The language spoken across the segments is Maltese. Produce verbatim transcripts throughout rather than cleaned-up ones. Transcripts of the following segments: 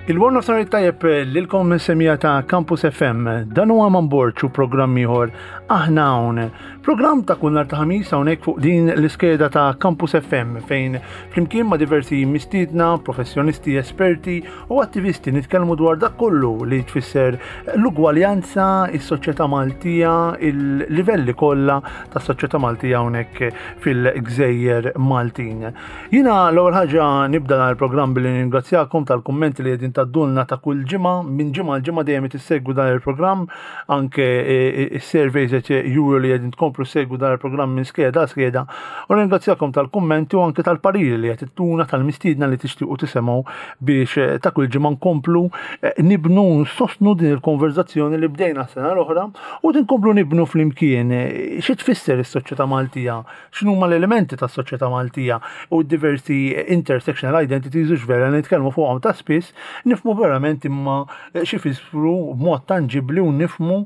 Il-Warn of Sorry tajjeb lilkom semija ta' Campus F M. Dan huwa Man Borg u programm ieħor, Aħna Hawn. Programm ta' kull nhar ta' Ħamis hawnhekk fuq din l-iskeda ta' Campus F M fejn flimkien ma' diversi mistiedna, professjonisti, esperti u attivisti nitkellmu dwar dak kollu li tfisser l-ugwaljanza, is-soċjetà Maltija, il-livelli kollha tas-soċjetà Maltija hawnhekk fil-Gżejjer Maltin. Jiena l-ewwel ħaġa nibda dan il-programm billi ningrazzjakom tal-kummenti li qegħdin tgħaddulna ta' kull ġimgħa, minn ġimgħa għal ġimgħa dejjem tissegwu dan il-programm, anke is-surveys qed juru li qegħdin tkomplu segwu dan il-programm minn skeda għal skeda. U ringrazzjakom tal-kummenti u anke tal-pariri li qed ittuna tal-mistiedna li tixtiequ tisimgħu biex eh, ta' kull ġimgħa nkomplu eh, nibnu, nsostnu din il-konverzazzjoni li bdejna sena l-oħra u tinkomplu nibnu flimkien eh, xi tfisser is-soċjetà Maltija, x'inhuma l-elementi tas-soċjetà Maltija u diversi intersectional identities u vera nitkellmu fuqhom ta' spiss, nifhmu verament imma xi jfissru b'mod tanġibli u nifhmu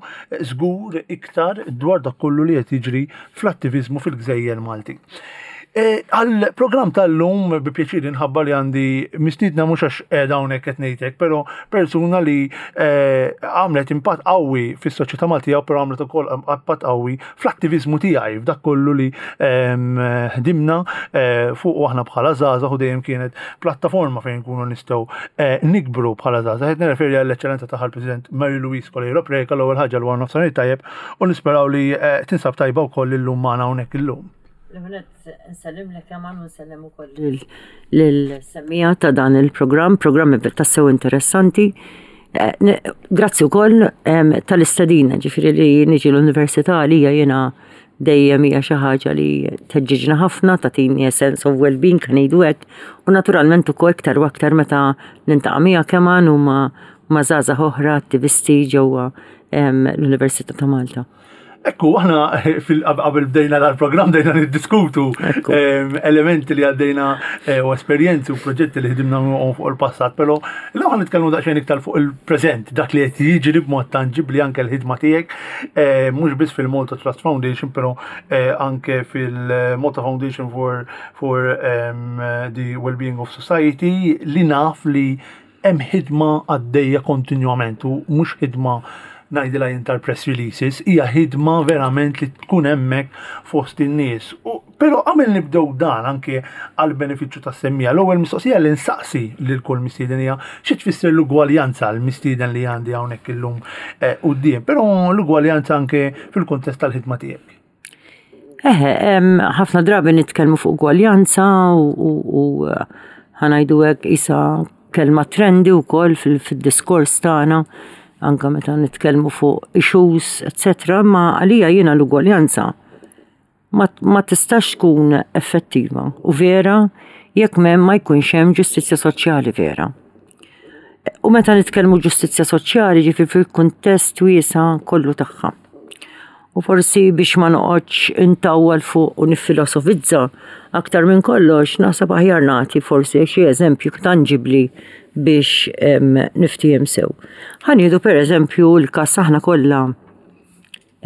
żgur iktar dwar dak kollu li qed jiġri fl-attiviżmu fil-Gżejjer Malti. E, għal-program tal-lum bi pjaċir nħabbar li għandi mistiedna, mhux għax qiegħda hawnhekk qed ngħidlek, però persuna li e, għamlet impatt qawwi fis-soċjetà Maltija, però għamlet ukoll impatt qawwi fl-attiviżmu tiegħi f'dak kollu li ħdimna e, fuq u aħna bħala żgħażagħ u dejjem kienet plattaforma fejn nkunu nistgħu nikbru bħala żgħażagħ. Qed nirreferi għall-Eċċellenza tagħha l-President Mary Louise Coleiro Preca. L-ewwel ħaġa, l-wara nofsinhar tajjeb u nisperaw li tinsab tajba wkoll illum magħna hawnhekk illum. L-ewwel nett nsellimlek Jaman u nsellem ukoll lill-semmiegħa ta' dan il-programm, programm tassew interessanti. Eh, grazzi wkoll tal-istedina, ġifieri li niġi l-università għalija jiena dejjem hija xi ħaġa li tħeġġiġna ħafna, tagħtini a sense of well-being kan ngħidu hekk, u naturalment ukoll iktar u aktar meta niltaqa' miegħek Eman u ma' ma' żgħażagħ oħra attivisti ġewwa l-Università ta' Malta. Ekku, aħna fil-qabel bdejna dal-program bdejna niddiskutu elementi li għaddejna eh, u esperjenzi u proġetti li ħdimna fuq il-passat, pero l-ewwel nitkellmu daqsxejn iktar fuq il-preżent, dak li qed jiġri b'mod tanġibli, anke l-ħidma tiegħek, eh, mhux biss fil-Malta Trust Foundation, però eh, anke fil-Malta Foundation for, for um, the Wellbeing of Society, li naf li hemm ħidma għaddejja kontinwament u mhux ħidma ngħidilha jien tal-press releases, hija ħidma verament li tkun hemmhekk fost in-nies. Però qabel nibdew dan, anke għal benefiċċju tas-semmiegħa, l-ewwel mistoqsija li nsaqsi lil kull mistieden hija xi tfisser l-ugwaljanza għal mistieden li għandi hawnhekk illum eh, quddiem, però l-ugwaljanza anke fil-kuntest tal-ħidma tiegħek. Eħe, ħafna drabi nitkellmu fuq ugwaljanza u ħa ngħidu hekk isa kelma trendy wkoll fil-diskors tagħna anka meta nitkellmu fuq issues, et cetera. Ma għalija jiena l-ugwaljanza ma, ma tistax tkun effettiva u vera jekk m'hemm ma jkunx hemm ġustizzja soċjali vera. U meta nitkellmu ġustizzja soċjali, ġifieri fil-kuntest wiesa' kollu tagħha. U forsi biex ma noqgħodx intawwal fuq u nifilosofizza aktar minn kollox, naħseb aħjar nagħti forsi xi eżempju tangibli biex niftiehem sew. Ħa nieħdu per eżempju l-kas aħna kollha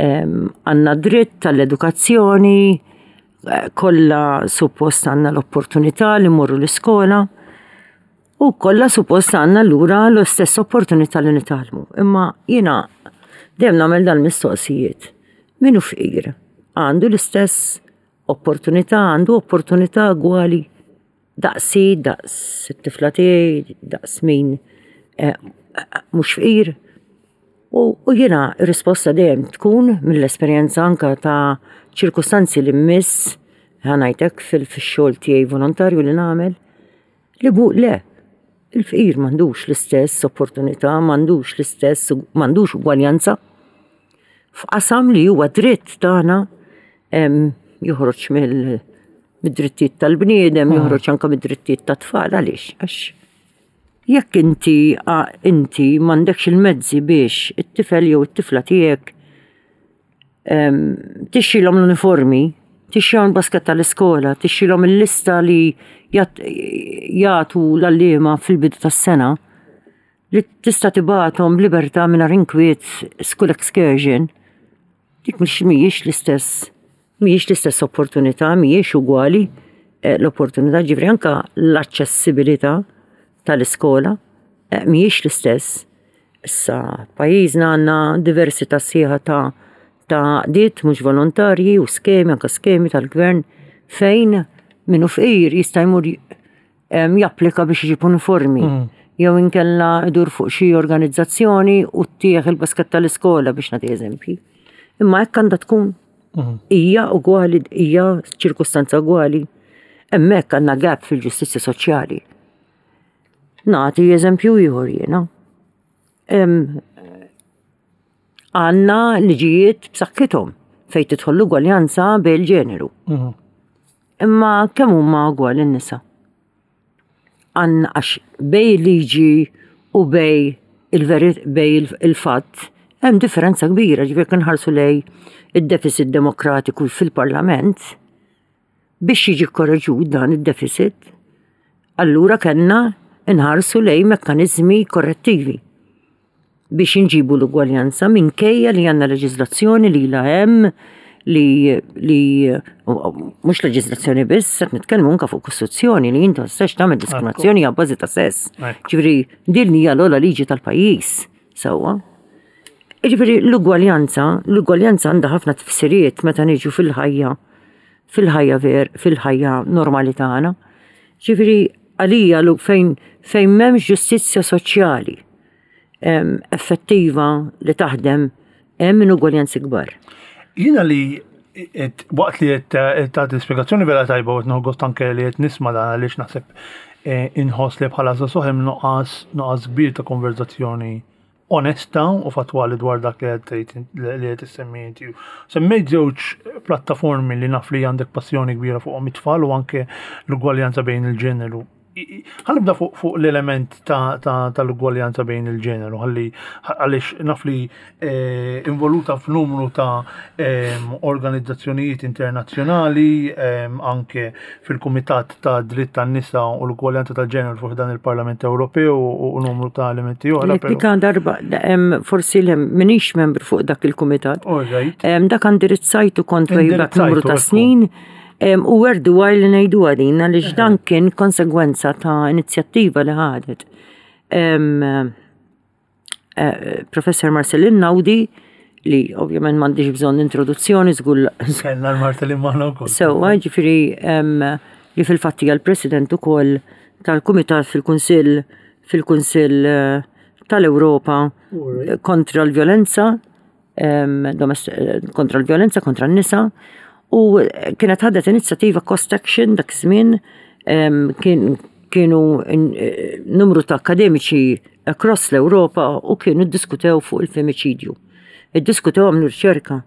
għandna dritt tal-edukazzjoni, eh, kollha suppost għandna l-opportunità li mmorru l-iskola u kollha suppost għandna lura l-istess opportunità li nitgħallmu. Imma jiena dejjem nagħmel dal-mistoqsijiet. Min hu fqir għandu l-istess opportunità, għandu opportunità ugwali daqsi, daqs it-tifla tiegħi, daqs min eh, mhux fqir? U, u jiena risposta dejjem tkun mill-esperjenza anka ta' ċirkustanzi li mmiss ħa ngħidlek fil-xogħol tiegħi volontarju li nagħmel li bu le, il-fqir m'għandux l-istess opportunità, m'għandux l-istess, m'għandux ugwaljanza. F'qasam li huwa dritt tagħna joħroġ mill mid-drittijiet tal-bniedem, joħroġ anka mid-drittijiet tat-tfal. Għaliex? Għax jekk inti inti m'għandekx il-mezzi biex it-tifel jew it-tifla tiegħek tixtrilhom l-uniformi, tixtrilhom il-basket tal-iskola, tixtrilhom il-lista li jagħtu l-għalliema fil-bidu tas-sena, li tista' tibgħathom b'libertà mingħajr inkwiet school excursion, dik mhux mhijiex l-istess mhijiex l-istess opportunità, mhijiex ugwali eh, l-opportunità, ġifieri anka l-aċċessibilità tal-iskola eh, mhijiex l-istess. Issa, pajjiżna għandna diversità sħiħa ta' ta' għaqdiet mhux volontarji u skemi, anka skemi tal-gvern fejn min hu fqir jista' jmur japplika biex iġib uniformi. Mm. Jew inkella idur fuq xi organizzazzjoni u ttih il-basket tal-iskola, biex nagħti eżempji. Imma hekk għandha tkun? Mhm. Hija ugwali, hija ċirkustanza ugwali? Hemmhekk għandna gap fil-ġustizzja soċjali. Nagħti eżempju ieħor jiena. Għandna liġijiet b'saħħithom fejn tidħol l-ugwaljanza bil-ġeneru. Mhm. Imma kemm huma ugwali n-nisa? Għandna, għax bejn liġi u bejn il-bejn il-fatt hemm differenza kbira. Ġifieri nħarsu lejn id-deficit demokratiku fil-Parlament, biex jiġi korreġut dan id-deficit, allura kellna nħarsu lejn mekkanizmi korrettivi biex inġibu l-ugwaljanza minkejja li għandna leġiżlazzjoni li la hemm li li mhux leġiżlazzjoni biss, qed nitkellmu anke fuq kostituzzjoni li inti tistax tagħmel diskriminazzjoni għal bażi ta' sess. Ġifieri din hija l-ogħla liġi tal-pajjiż. Sewwa. Ġifieri l-ugwaljanza, l-ugwaljanza għandha ħafna tifsiriet meta niġu fil-ħajja, fil-ħajja ver, fil-ħajja normali tagħna. Ġifieri għalija fejn fejn m'hemmx ġustizzja soċjali effettiva li taħdem, hemm inugwaljanzi kbar. Jiena li waqt li qed tagħti spjegazzjoni vera tajba u qed gost anke li qed nisma' dan, għaliex naħseb eh, inħoss li bħala żagħżugħ hemm nuqqas nuqqas kbir ta' konverzazzjoni onesta u fatwali dwar dak li qed li qed issemmi inti. Semmejt żewġ plattaformi li naf li għandek passjoni kbira fuqhom, it-tfal u anke l-ugwaljanza bejn il-ġeneru. Ħa nibda fuq fuq l-element tal-ugwaljanza bejn il-ġeneru, ħalli għaliex naf li eh, involuta f'numru ta' organizzazzjonijiet internazzjonali, anke fil-Kumitat ta' Dritt tan-Nisa u l-Ugwaljanza tal-Ġeneru fuq dan il-Parlament Ewropew u numru ta' elementi oħra. Dika darba, forsi m'iniex membru fuq dak il-kumitat. Dak indirizzajtu kont way numru ta' snin. U worthwhile li ngħidu għadin, għaliex dan kien konsegwenza ta' inizjattiva li ħadet Eh, Professor Marcelin Naudi, li ovvjament m'għandix bżonn introduzzjoni, żgur. Kellna l-Marcelin magħna wkoll. Sewwa, ġifieri li fil-fatt hija l-President ukoll tal-Kumitat fil-Kunsill fil-Kunsill eh, tal-Ewropa kontra l-vjolenza kontra l-vjolenza kontra n-nisa, u kienet ħadet inizjattiva Cost Action dak iż-żmien. Kien kienu eh, numru ta' akademiċi across l-Ewropa u kienu ddiskutew fuq il-femiċidju. Iddiskutew, għamlu riċerka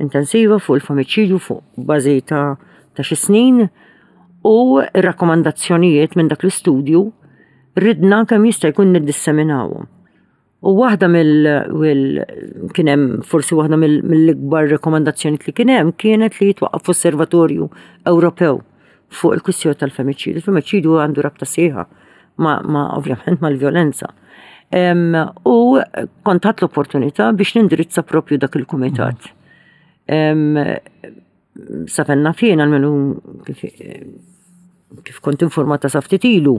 intensiva fuq il-femiċidju fuq bażi ta' ta' xi snin, u rakkomandazzjonijiet minn dak l-istudju ridna kemm jista' jkun niddisseminawhom. U waħda mill kien hemm forsi waħda mill-ikbar rekomandazzjoni li kien hemm kienet li jitwaqqaf osservatorju Ewropew fuq il-kwistjoni tal-femiċidju. Il-femiċidju għandu rabta sħiħa ma, ma ovvjament mal-vjolenza. U kont ħadt l-opportunità biex nindirizza propju dak il-kumitat. Sa fejn naf jien, almenu kif, kif kont informata sa ftit ilu,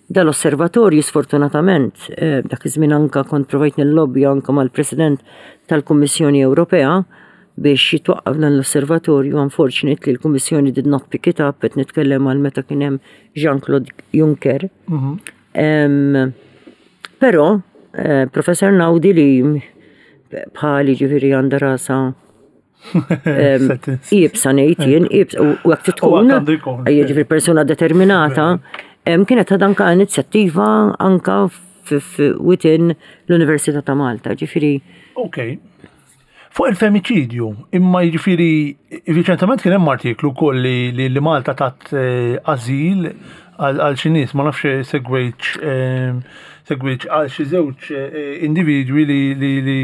dal-osservatorju sfortunatament, eh, dak iż-żmien anka kont provajt nil-lobby anka mal-President tal-Kummissjoni Ewropea biex jitwaqqaf dan l-osservatorju. Unfortunately l-Kummissjoni did not pick it up, qed nitkellem għal meta kien hemm Jean-Claude Juncker. Mhm. Però eh, Professor Naudi, li bħali ġifieri għandha rasa iebsa, ngħid jien, iebsa u hekk tkun, ġifieri persuna determinata, kienet ħadet anka inizjattiva anka within l-Università ta' Malta, ġifieri. Ok. Fuq il-femiċidju, imma jiġifieri riċentement kien hemm artiklu wkoll li, li, li Malta tat eh, azil għal għal xi nies, ma nafx segwejtx eh, segwejtx għal xi żewġ eh, individwi li li li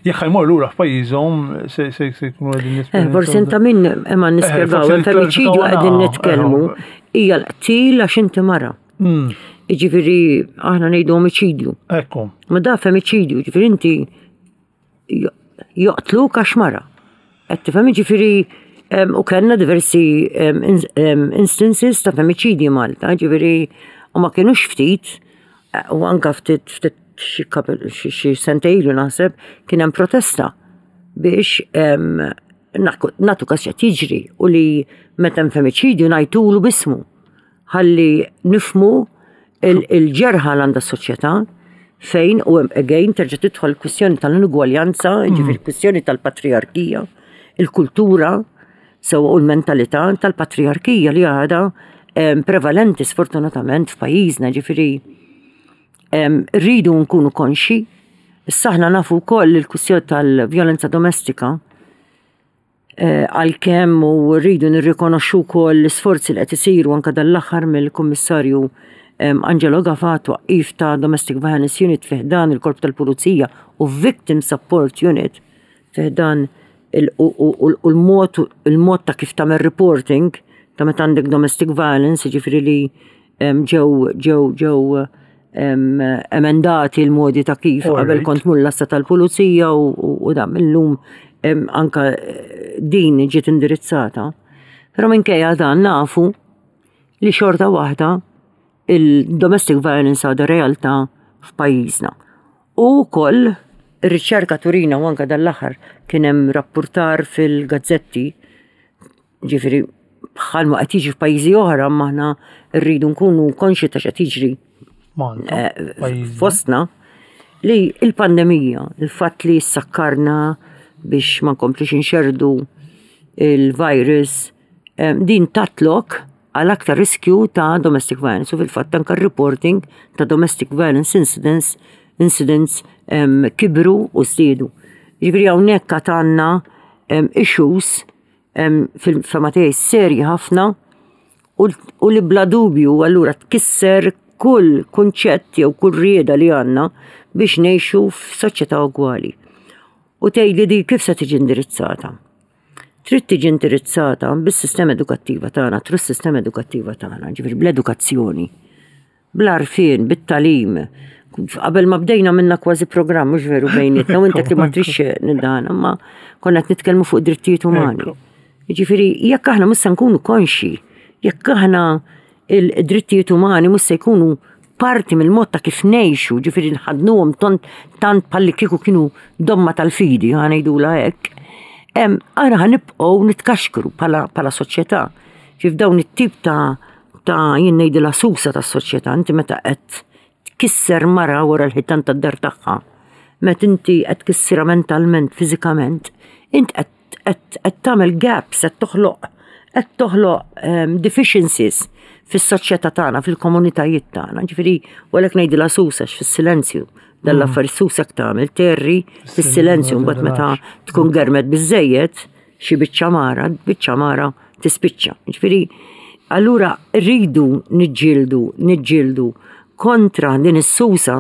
jekk ħa jmorru lura f'pajjiżhom se se se jkunu qegħdin Eh, jesperjenzaw Forsi inta min imma nispjegaw, forsi il-femiċidju qegħdin nitkellmu eh, hija l-qtil għax inti mara. Mm, Jiġifieri aħna ngħidu omiċidju. Ekku. Ma da femiċidju, ġifieri inti jo- joqtluk għax mara. Qed tifhem ġifieri em, u kellna diversi em, ins- em, instances ta' femiċidji Malta, ġifieri u ma kienux ftit, eh, u anka ftit ftit xi couple- xi xi sentejn ilu naħseb kien hemm protesta biex em, naku- natu kas x'qed jiġri u li meta hemm femiċidju ngħidulu b'ismu ħalli nifhmu il- il-ġerħa l għandha s-soċjetà fejn u hemm again terġa' tidħol il-kwistjoni tal-inugwaljanza, ġifieri kwistjoni tal-patriarkija, il-kultura, sewa u l-mentalità tal-patriarkija li għadha em, prevalenti sfortunatament f'pajjiżna, ġifieri em, rridu nkunu konxi. Issa aħna nafu wkoll il-kwistjoni tal-vjolenza domestika eh, għalkemm u rridu nirrikonoxxu wkoll l-isforzi li qed isiru anke dal-aħħar mill-Kummissarju em, Angelo Gafà twaqqif ta' Domestic Violence Unit fi ħdan il-Korp tal-Pulizija u Victim Support Unit fi ħdan il- u- u u- u l-mod il-mod ta' kif tagħmel reporting ta' meta għandek domestic violence, ġifieri li em, ġew ġew ġew em, emendati l-modi ta' kif qabel Alright. kont tmur l-għassa tal-pulizija u, u, u dan illum em, anka eh, din ġiet indirizzata. Però minkejja dan nafu li xorta waħda il-domestic violence għadha realtà f'pajjiżna. U wkoll ir-riċerka turina u anka dal-aħħar kien hemm rapportar fil-gazzetti ġifieri bħalma qed jiġi f'pajjiżi oħra ma aħna rridu nkunu konxi ta' x'qed jiġri Malta. eh, pajjiżna. fostna li il-pandemija, il-fatt li sakkarna biex ma nkomplux inxerdu il-virus, em, din tat lok għal aktar riskju ta' domestic violence u fil-fatt anka reporting ta' domestic violence incidents incidents em, kibru u żdiedu. Ġifieri hawnhekk għad għandna em, issues em, fil-fehma tiegħi serji ħafna u u li bla dubju allura tkisser kull kunċett jew kull rieda li għandna biex ngħixu f'soċjetà ugwali. U tgħidli di kif se tiġi indirizzata? Trid tiġi indirizzata bis-sistema edukattiva tagħna, through s-sistema edukattiva tagħna, ġifieri bl-edukazzjoni, bl-għarfien, bit-tagħlim. Qabel ma bdejna minna kważi programm, mhux veru bejnietna, u inti li ma trix nidana, ma konna qed nitkellmu fuq drittijiet umani. Ekku. Ġifieri, jekk aħna mhux se nkunu konxi, jekk aħna il-drittijiet umani mhux se jkunu parti mill-mod ta' kif ngħixu, ġifieri nħadnuhom tant tant bħalli kieku kienu domma tal-fidi, ħa ngħidula hekk. Em, aħna ħa nibqgħu nitkaxkru bħala bħala soċjetà. Ġif dawn it-tip ta' ta' jien ngħidilha susa tas-soċjetà, inti meta qed tkisser mara wara l-ħitan tad-dar tagħha, meta inti qed tkissirha mentalment, fiżikament, int qed qed qed tagħmel gaps, qed toħloq qed toħloq um, deficiencies fis-soċjetà tagħna, fil-komunitajiet tagħna. Ġifieri, u għalhekk ngħidilha susa fis-silenzju. Dan l-affari susa tagħmel terri fis-silenzju mbagħad meta tkun germet biżejjed xi biċċa mara, biċċa mara tispiċċa. Ġifieri, allura rridu niġġieldu, niġġieldu kontra din is-susa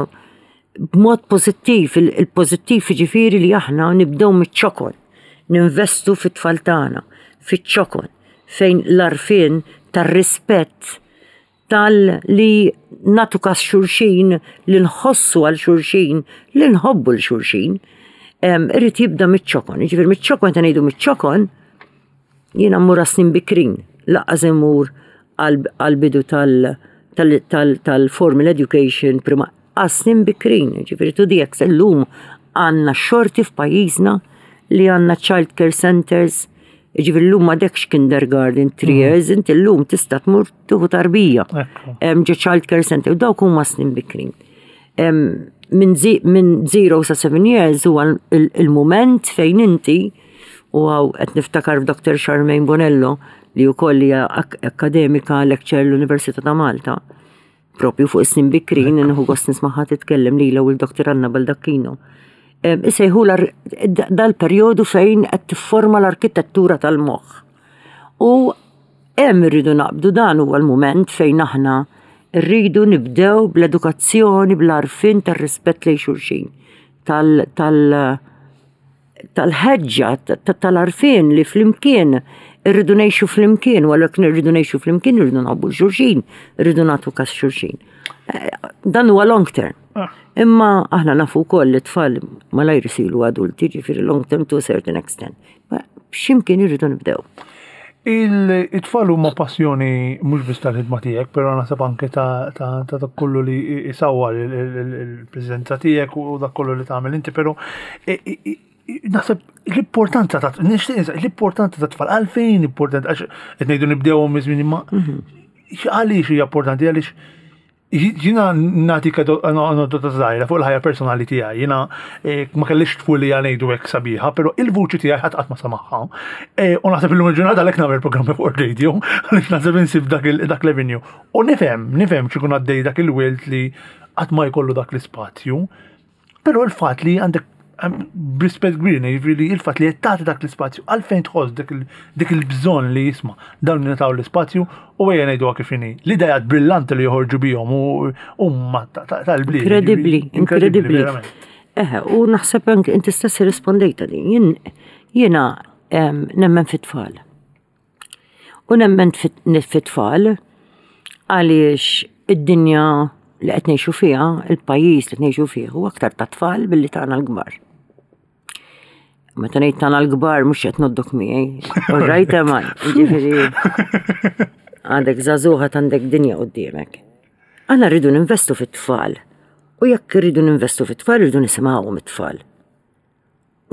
b'mod pożittiv, il- il-pożittiv ġifieri li aħna nibdew miċ-ċokon, ninvestu fit-tfal tagħna, fiċ-ċokon, fejn l-għarfien tar-rispett tal-li natu kas xulxin, li nħossu għal xulxin, li nħobbu 'l xulxin, em, irrid jibda miċ-ċokon. Ġifieri miċ-ċokon ta' ngħidu miċ-ċokon, jiena mmur snin bikrin, lanqas immur għal-bidu tal- tal- tal- tal-formal education prima għas-snin bikrin, ġifieri tu dik illum għandna xorti f'pajjiżna li għandna child care centers, ġifieri llum m'għadekx kindergarten, three years, inti llum tista' tmur tieħu tarbija. Ekku. Em, ġo child care center, u dawk huma snin bikrin. Em, Minn zi- minn zero sa seven years huwa il- il-moment fejn inti u hawn qed niftakar f'Dr. Charmaine Bonello li wkoll hija ak- akademika lecturer l-Università ta' Malta. Propju fuq snin bikrin, nieħu gost nismagħha titkellem lilha u l-Dr. Anna Baldacchino. Isejħu dal-perjodu fejn qed tifforma l-arkitettura tal-moħħ. U hemm irridu naqbdu, dan huwa l-mument fejn aħna rridu nibdew bl-edukazzjoni, bl-għarfien tar-rispett lejn xulxin, tal- tal- tal-ħeġġa, tal-għarfien li flimkien irridu ngħixu flimkien, u għalhekk irridu ngħixu flimkien irridu nħobbu xulxin, irridu nagħtu kas xulxin. Eh, dan huwa long term. Ah. Imma aħna nafu wkoll li tfal malajr isiru adulti, ġifieri long term to a certain extent. X'imkien irridu nibdew. Il-tfal huma passjoni mhux biss tal-ħidma tiegħek, però naħseb anke ta' dak kollu li isawwar il-preżenza tiegħek u dak kollu li tagħmel inti, però naħseb l-importanza ta' l-importanza ta' tfal, għalfejn importanti, għax qed ngħidu nibdew miż-żmien, imma mhm. għaliex hija importanti? Għaliex jiena nagħtik anedota żgħira fuq il-ħajja personali tiegħi. Jiena eh, ma kellix tfulija, ngħidu hekk, sabiħa, però il-vuċi tiegħi ħadd qatt ma samaħħa. Eh, u naħseb illum il-ġurnata għalhekk nagħmel programmi fuq radio, għaliex naħseb insib dak l-avenue. U nifhem, nifhem x'ikun għaddej dak il-wild li qatt ma jkollu dak l-ispazju. Però il-fatt li għandek, b'rispett kbir, jiġifieri il-fatt li qed tagħti dak l-ispazju, għalfejn tħoss dik il-bżonn li jisma' dawn nitaw l-ispazju u ejja ngħidu kif inhi? L-idejat brillanti li joħorġu bihom huma tal-bliet. Inkredibbli, inkredibbli. Eħe, u naħseb anke inti stess rispondejta din. Jiena nemmen fit-tfal. U nemmen fit-tfal għaliex id-dinja li qed ngħixu fiha, il-pajjiż li qed ngħixu fih huwa aktar ta' tfal billi tagħna l-kbar. Meta ngħid tagħna l-kbar, mhux qed ngħoddok miegħi. All right, man, ġifieri għandek żagħżugħa, għandek dinja quddiemek. Aħna rridu ninvestu fit-tfal. U jekk rridu ninvestu fit-tfal, rridu nisimgħuhom it-tfal.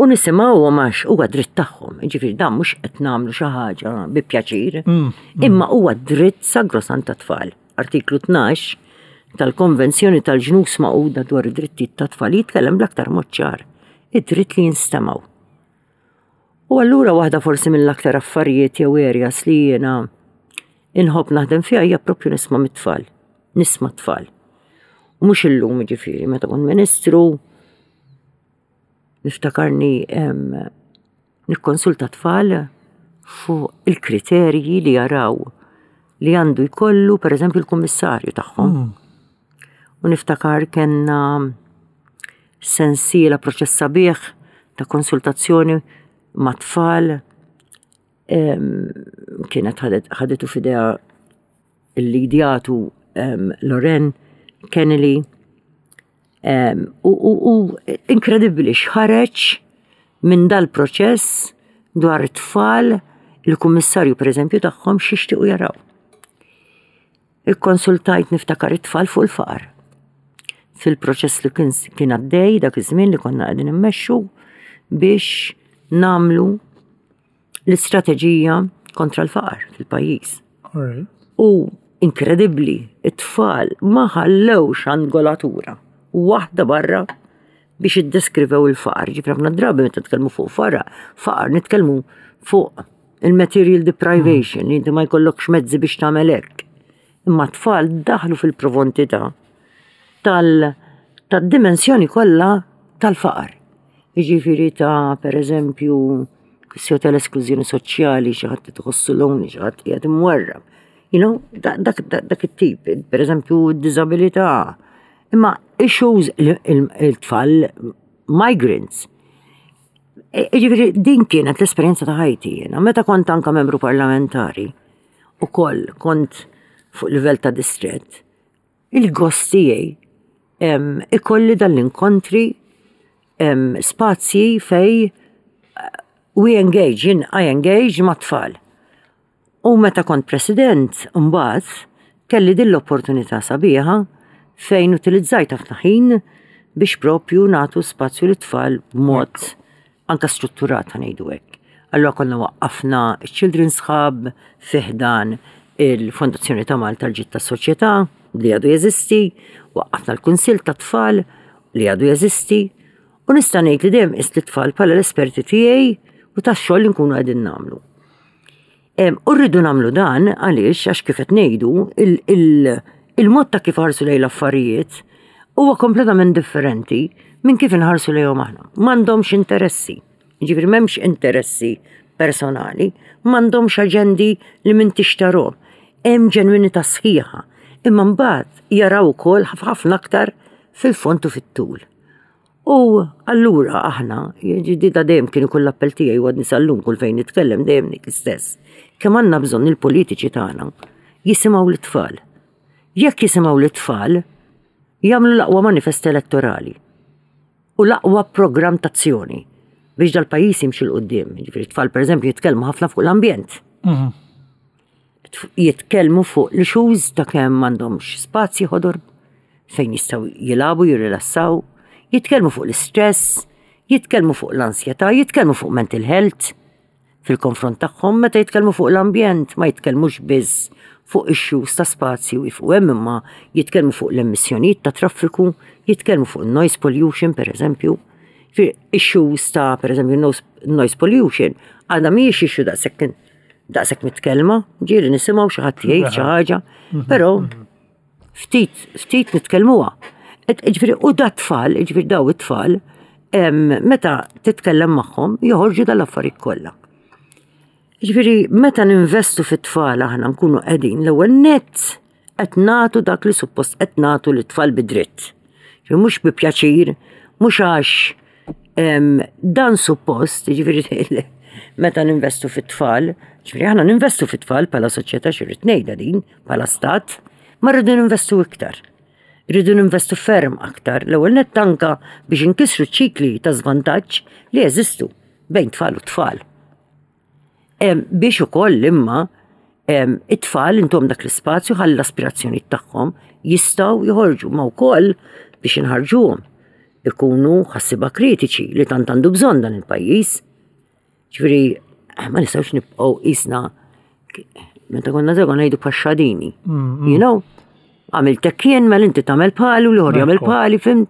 U nisimgħuhom għax huwa dritt tagħhom. Ġifieri dan mhux qed nagħmlu xi ħaġa bi pjaċir, mm, mm. imma huwa dritt sagrosant tat-tfal. Artiklu tnax tal-Konvenzjoni tal-Ġnus Magħquda dwar id-drittijiet tat-tfal jitkellem bl-aktar mod ċar: id-dritt li jinstemgħu. U allura waħda forsi mill-aktar affarijiet jew areas li jiena inħobb naħdem fiha hija propju nisma' mit-tfal, nisma' tfal. U mhux illum, ġifieri, meta kont ministru, niftakarni nikkonsulta tfal fuq il-kriterji li jaraw li għandu jkollu, per eżempju, il-kummissarju tagħhom. Mm. U niftakar kellna sensiela, proċess sabiħ ta' konsultazzjoni ma' tfal, kienet ħadetu f'idejha il-lidjatu Loren Kennedy u, u, u inkredibbli x'ħareġ minn dal-proċess dwar it-tfal, il-kummissarju, per eżempju, tagħhom x'jixtiequ jaraw. Ikkonsultajt, niftakar, it-tfal fuq il-faqar. Fil-proċess li kien kien għaddej dak iż-żmien li konna qegħdin immexxu biex nagħmlu l-istrateġija kontra l-faqar fil-pajjiż. U inkredibbli, it-tfal ma ħallewx angolatura waħda barra biex iddeskrivew il-faqar. Ġifri ħafna drabi meta nitkellmu fuq faqar, faqar nitkellmu fuq il-material deprivation, li inti ma jkollokx mezzi biex tagħmel hekk. Imma tfal daħlu fil-profondità tal-dimensjoni kollha tal-faqar. Jiġifieri ta' per eżempju kwistjoni tal-esklużjoni soċjali, xi ħadd tħossu lonely, xi ħadd qiegħed imwarrab. You know, dak dak it-tip, per eżempju d-diżabilità. Imma issues il-tfal migrants. E, ġifieri din kienet l-esperjenza ta' ħajti jiena. Meta kont anka membru parlamentari, u koll kont fuq livell ta' distret, il-gost tiegħi ikolli dal-inkontri, spazji fej eh, we engage, jien I engage ma' tfal. U meta kont president, mbagħad kelli din l-opportunità sabiħa fejn utilizzajt ħafna ħin biex propju nagħtu spazju lit-tfal b'mod anka strutturat, ngħidu hekk. Allura konna waqqafna Children's Hub fi ħdan il-Fondazzjoni ta' Malta l-ġid tas-Soċjetà li għadu jeżisti, waqqafna l-Kunsill ta' Tfal li għadu jeżisti, u nista' ngħid li dejjem qist it-tfal bħala l-esperti tiegħi u tax-xogħol li nkunu qegħdin nagħmlu. U rridu nagħmlu dan għaliex għax kif qed ngħidu, il-mod ta' kif ħarsu lejn l-affarijiet huwa kompletament differenti minn kif inħarsu lejhom aħna. M'għandhomx interessi. Ġifieri m'hemmx interessi personali, m'għandhomx aġendi li m'intix tarahom. Hemm ġenwinità sħiħa. Imma mbagħad jaraw ukoll ħafna aktar fil-fond u fit-tul. U allura aħna, ġdida dejjem kien ikun l-appell tiegħi u għadni sal-lum kull fejn nitkellem dejjem dik l-istess. Kemm għandna bżonn il-politiċi tagħna jisimgħu l-tfal. Jekk jisimgħu l-tfal, jagħmlu l-aqwa manifest elettorali u l-aqwa programm tazzjoni biex dal-pajjiż jimxi 'l quddiem. Ġifieri t-tfal pereżempju jitkellmu ħafna fuq l-ambjent. Mhm. Jitkellmu fuq l-issues ta' kemm m'għandhomx spazji ħodor fejn jistgħu jilagħbu, jirrilassaw, jitkellmu fuq l-istress, jitkellmu fuq l-ansjetà, jitkellmu fuq mental health fil-konfront tagħhom, meta jitkellmu fuq l-ambjent ma jitkellmux biss fuq issues ta' spazju fuq hemm imma jitkellmu fuq l-emissjonijiet ta' traffiku, jitkellmu fuq noise pollution per eżempju. Issues ta' per eżempju noise pollution għadha mhijiex issue daqshekk daqshekk mitkellma, ġieli nisimgħu xi ħadd jgħid xi ħaġa, però ftit ftit nitkellmuha. Ġifieri u da tfal, ġifieri daw it-tfal, meta titkellem magħhom joħorġu dal-affarijiet kollha. Ġifieri meta ninvestu fit-tfal aħna nkunu qegħdin l-ewwel nett qed nagħtu dak li suppost qed nagħtu lit-tfal bidritt. Ġifieri mhux bi pjaċir, mhux għax dan suppost, ġifieri meta ninvestu fit-tfal, ġifieri aħna ninvestu fit-tfal bħala soċjetà xi ngħidha din, bħala stat, ma rridu ninvestu iktar. Rridu ninvestu ferm aktar, l-ewwel nett anka biex inkissru ċikli ta' żvantaġġ li jeżistu bejn tfal u tfal. Biex ukoll imma it-tfal intom dak l-ispazju ħalli l-aspirazzjoni tagħhom jistgħu joħorġu ma wkoll biex inħarġuhom ikunu ħassiba kritiċi li tant għandu bżonn dan il-pajjiż. Ġifieri ma nistgħux nibqgħu qisna meta konna żgħar ngħidu paxxadini. Mm, You know? Għamiltek jien mela inti tagħmel bħali u l-ieħor jagħmel bħali, fhimt?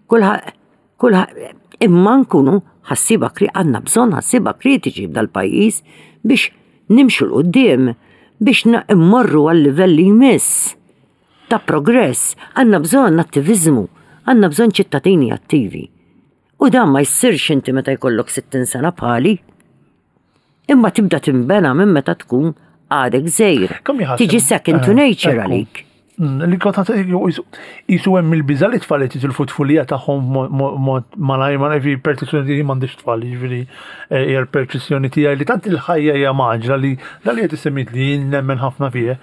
Kulħadd kulħadd imma nkunu ħassiba għandna bżonn ħassiba kritiċi f'dal-pajjiż biex nimxu 'l quddiem biex immorru għal livell li jmiss ta' progress. Għandna bżonn attiviżmu, għandna bżonn ċittadini attivi. U dan ma jsirx inti meta jkollok sittin sena bħali. Imma tibda timbena minn meta tkun għadek żgħir. Kemm jħasseb? Tiġi second to Eh, nature ekku. għalik. Mm, Li kont jisu hemm il-biża li tfal qed jitilfu tfulija tagħhom mod malaj malaj fi perċezzjoni tiegħi m'għandix tfal, jiġifieri eh, hija l-perċezzjoni tiegħi li tant il-ħajja hija mgħaġġla li dan li qed isemmit li jien nemmen ħafna fih.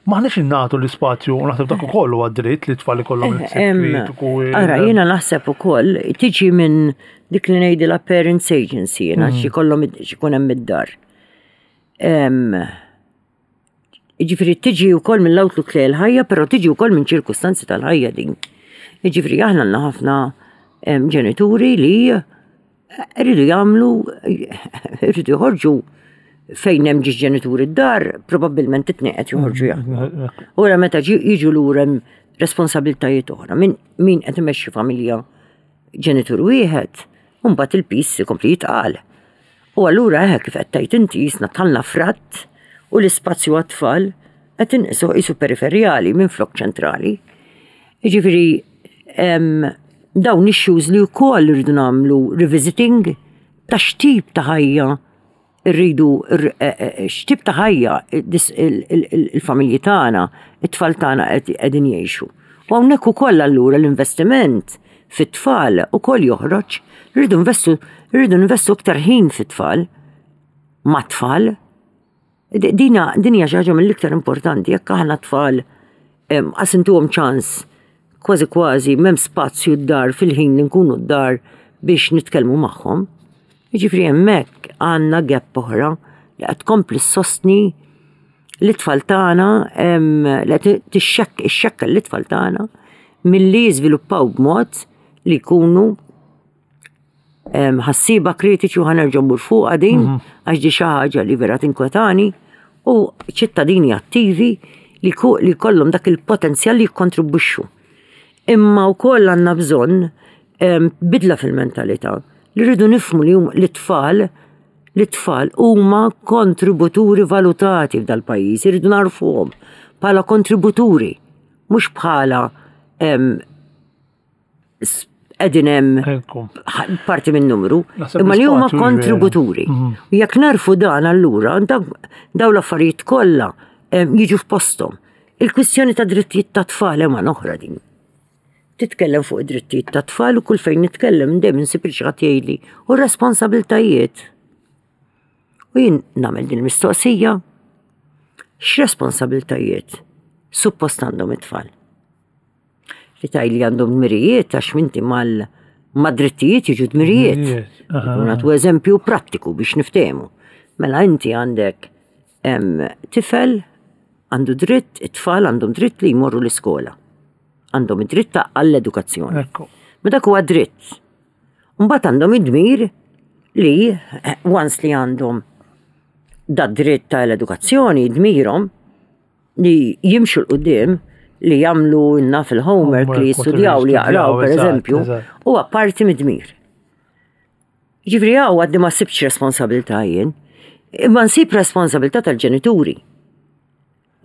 M'aħniex innagħtu l-ispazju u naħseb dak ukoll huwa dritt li tfal ikollhom il-ħsieb Em, kritiku. il- Ara, jiena naħseb ukoll tiġi minn dik li ngħidilha parents agency, jiena xi kollhom xi jkun hemm id-dar. Em, Jiġifieri tiġi wkoll mill-outlook li l-ħajja, però tiġi wkoll minn ċirkustanzi tal-ħajja din. Jiġifieri aħna għandna ħafna em, ġenituri li rridu jagħmlu, rridu joħorġu fejn hemm ġiex ġenituri d-dar, probabbilment it-tnejn qed joħorġu jaħdmu. Ora meta ġi- jiġu lura hemm responsabiltajiet oħra. Min min qed imexxi familja ġenitur wieħed, u mbagħad il-piż ikompli jitqal. U allura eħe kif qed tgħid inti jisna tħallna fratt u l-ispazju għat-tfal qed inqisu qisu periferjali minn flok ċentrali. Jiġifieri em, dawn issues li wkoll irridu nagħmlu revisiting ta' x'tip ta' ħajja rridu x'tip ta' ħajja dis- il- il- il- il-familji tagħna, it-tfal tagħna qed- qegħdin jgħixu. U hawnhekk ukoll allura l-investiment fit-tfal ukoll joħroġ, rridu investu rridu investu aktar ħin fit-tfal, mat-tfal. D- Dina din hija xi ħaġa mill-iktar importanti jekk aħna tfal em, qas intuhom ċans kważi kważi m'hemm spazju d-dar fil-ħin li nkunu d-dar biex nitkellmu magħhom. Jiġifieri hemmhekk għandna gap oħra li qed tkompli ssostni l-tfal tagħna em, li qed tixxekk ixxekkel l-tfal tagħna milli jiżviluppaw b'mod li jkunu em, ħassiba kritiċi u ħa nerġa' mmur fuqha din għax di xi ħaġa li vera tinkwetani u ċittadini attivi li ku- li kollhom dak il-potenzjal li jikkontribwixxu. Imma wkoll għandna bżonn em, bidla fil-mentalità li rridu nifhmu li hum l-tfal l-tfal huma kontributuri valutati f'dal-pajjiż, irridu narfuhom bħala kontributuri, mhux bħala em, s- qegħdin hemm Ekku. parti minn numru, Naħseb imma li huma l-ispazju kontributuri. Mhm. U jekk narfu dan allura, daw l-affarijiet kollha em, jiġu f'posthom. Il-kwistjoni ta' drittijiet ta' tfal hemm oħra din. Titkellem fuq id-drittijiet ta' tfal u kull fejn nitkellem dejjem insib il xi ħadd jgħidli u r-responsabiltajiet. U jien nagħmel din il-mistoqsija, x'responsabiltajiet suppost għandhom it-tfal? Li taj li għandhom dmirijiet għax minti mal ma drittijiet jiġu dmirijiet. Dmirijiet, aha. Nagħtu eżempju prattiku biex niftehmu. Mela inti għandek em, tifel għandu dritt, it-tfal għandhom dritt li jmorru l-iskola. Għandhom id-dritt ta' għall-edukazzjoni. Ekku. Ma dak huwa dritt. Mbagħad għandhom id-dmir li eh, once li għandhom da dritt tal-edukazzjoni, dmirhom li jimxu 'l quddiem li jagħmlu naf il-homework, Homework, li jistudjaw, li whatever jaqraw, per jistudjaw, eżatt, eżempju, eżatt. huwa parti mid-dmir. Ġifieri hawn għadni ma sibx responsabilità jien, imma nsib responsabilità tal-ġenituri.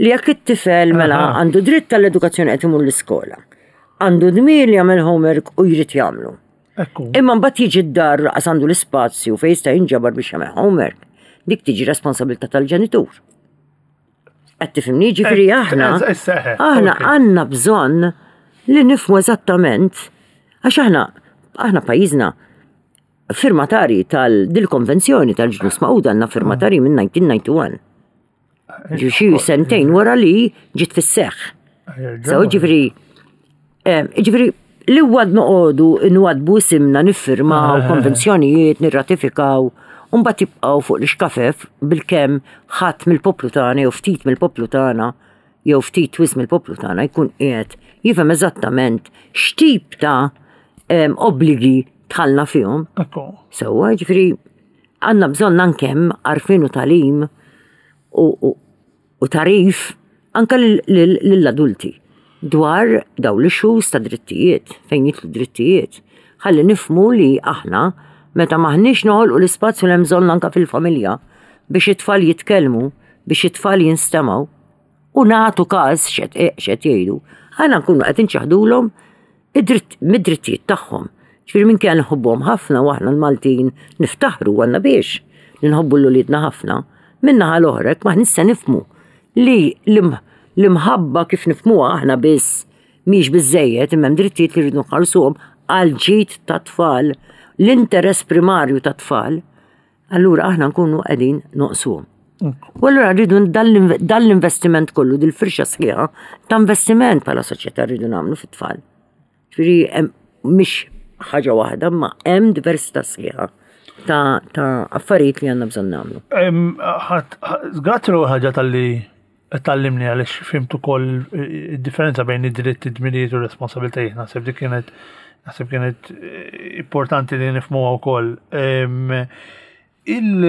Li jekk it-tifel mela Aha. għandu dritt tal-edukazzjoni qed imur l-iskola, għandu dmir li jagħmel homework u jrid jagħmlu. Ekku. Imma mbagħad jiġi d-dar laqas għandu l-ispazju fejn jista' jinġabar biex jagħmel homework. Dik tiġi responsabilità tal-ġenitur. Qed tifhimni, ġifieri Eh, aħna eh, eh, aħna ok. għandna bżonn li nifhmu eżattament għax aħna aħna pajjiżna firmatari tal-dil-konvenzjoni tal-Ġnus Magħquda għandna firmatari minn elf disa' mija u wieħed u disgħin. Ġi xi sentejn wara li ġiet fis-seħħ. So, ġifieri, eh, ġifieri, li għad noqogħdu nwadbu simna niffirmaw konvenzjonijiet, nirratifikaw, u mbagħad jibqgħu fuq l-ixkafef bilkemm ħadd mill-poplu tagħna jew ftit mill-poplu tagħna jew ftit wisq mill-poplu tagħna jkun qiegħed jifhem eżattament x'tip ta' em, obbligi dħalna fihom. Ekku. Sewwa, ġifieri, għandna bżonn anke għarfien u tagħlim u, u, u tagħrif anka lill-adulti dwar daw l-issues ta' drittijiet, fejn jidħlu drittijiet. Ħalli nifhmu li aħna meta maħniex noħolqu l-ispazju li hemm bżonn anka fil-familja biex it-tfal jitkellmu, biex it-tfal jinstemgħu u nagħtu każ x'qed x'qed jgħidu, aħna nkunu qed inċaħdulhom id-dritt mid-drittijiet tagħhom. Ġifieri minn kien nħobbuhom ħafna u aħna l-Maltin niftaħru għandna biex li nħobbu l-uliedna ħafna. Min-naħa l-oħra ma nista' nifhmu li l-im- l-imħabba kif nifhmuha aħna biss mhix biżejjed imma hemm drittijiet li rridu nħarsuhom għal ġid ta' tfal, l-interess primarju ta' tfal, allura aħna nkunu qegħdin noqsuhom. U allura rridu dan l-investiment kollu, dil-firxa sħiħa ta' investiment bħala soċjetà rridu nagħmlu fit-tfal. Ġifieri hemm mhix ħaġa waħda, ma hemm diversità sħiħa ta' ta' affarijiet li għandna bżonn nagħmlu. Em, ħadd- ħa- Grazzi l ħaġa tal-li tgħallimni għaliex fhimt ukoll id-differenza bejn id-dritt, id-dmirijiet u r-responsabiltajiet. Naħseb dik kienet naħseb kienet eh, importanti li nifhmuha wkoll. Em, Il,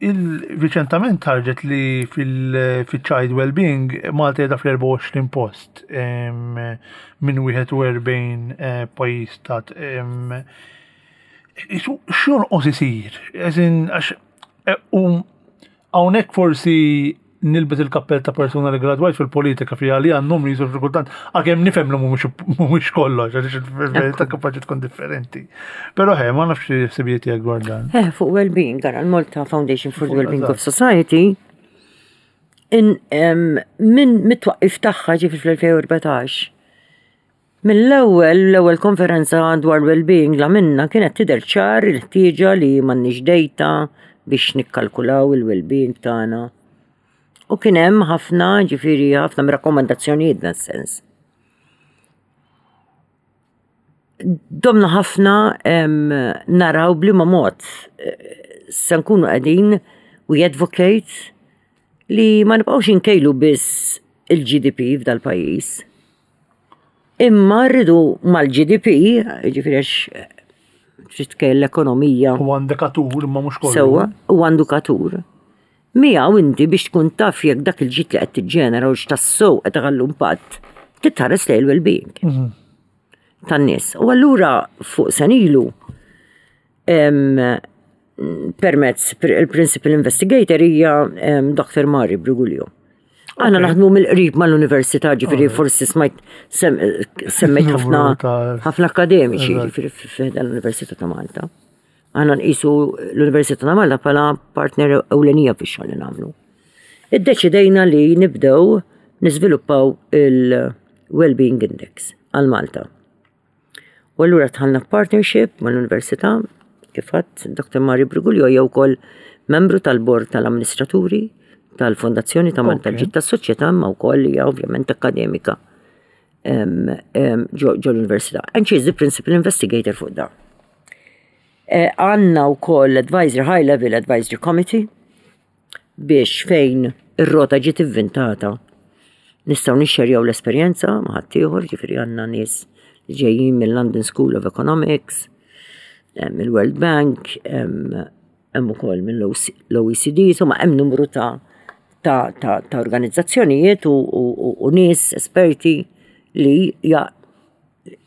il riċentament ħarġet li fil-child well-being Malta qiegħda fl-erbgħa u għoxrin post em, minn wieħed u erbgħin eh, pajjiż tat em, Isu, x'jonqos isir? Eżin, għax, e, u hawnhekk forsi nilbes il-kappell ta' persuna li gradwajt fil-politika fi għalija n-numri jisu kultant, għakem nifhem li mhumiex mhumiex kollox, għaliex il-verità kapaċi tkun differenti. Però he, ma nafx ħsibijiet tiegħek dwar dan. Eh, fuq well-being, gara l-Malta Foundation for the Fuq, Well-Being of eżatt. Society, in, em, minn mit-twaqqif tagħha ġifieri fl-elfejn u erbatax, mill-ewwel l-ewwel konferenza dwar well-being la minna kienet tidher ċar il-ħtieġa li m'għandniex data biex nikkalkulaw il-well-being tagħna. U kien hemm ħafna, ġifieri ħafna rakkomandazzjonijiet dan sens. Domna ħafna em, naraw b'liema mod eh, se nkunu qegħdin we advocate li ma nibqgħux inkejlu biss il-G D P f'dal-pajjiż. Imma rridu mal-G D P, ġifieri għax eh, trid tkejjel l-ekonomija U indikatur imma mhux kollu. Sewwa, u indikatur. Miegħu inti biex tkun taf jekk dak il-ġid li qed tiġġenera u x'tassew qed iħallu impatt, titħares lejn il-well-being Mhm. tan-nies. U allura fuq sena ilu em, permezz pr- il-principal investigator hija em, Doctor Mari Briguglio. Aħna naħdmu mill-qrib mal-università, ġifieri forsi smajt semmejt ħafna ħafna akademiċi, ġifieri f'dan l-Università ta' Malta. Aħna nqisu l-Università ta' Malta bħala partner ewlenija fix-xogħol li nagħmlu. Iddeċidejna li nibdew niżviluppaw il-Wellbeing Index għal Malta. U allura dħalna partnership mal-Università, kif għedt, Doctor Mari Briguglio hija wkoll membru tal-bord tal-amministraturi tal-Fondazzjoni ta' Malta Ġid tas-Soċjetà, imma wkoll hija ovvjament akademika ġo l-Università. And she is the principal investigator fuq da. E, għandna wkoll advisory, high level advisory committee, biex fejn ir-rota ġiet inventata nistgħu nixxerjaw l-esperjenza ma' ħaddieħor, ġifieri għandna nies li ġejjin mill-London School of Economics, mill-World Bank, hemm ukoll mill-O E C D, insomma hemm numru ta' ta', ta, ta organizzazzjonijiet u, u, u nies esperti li ja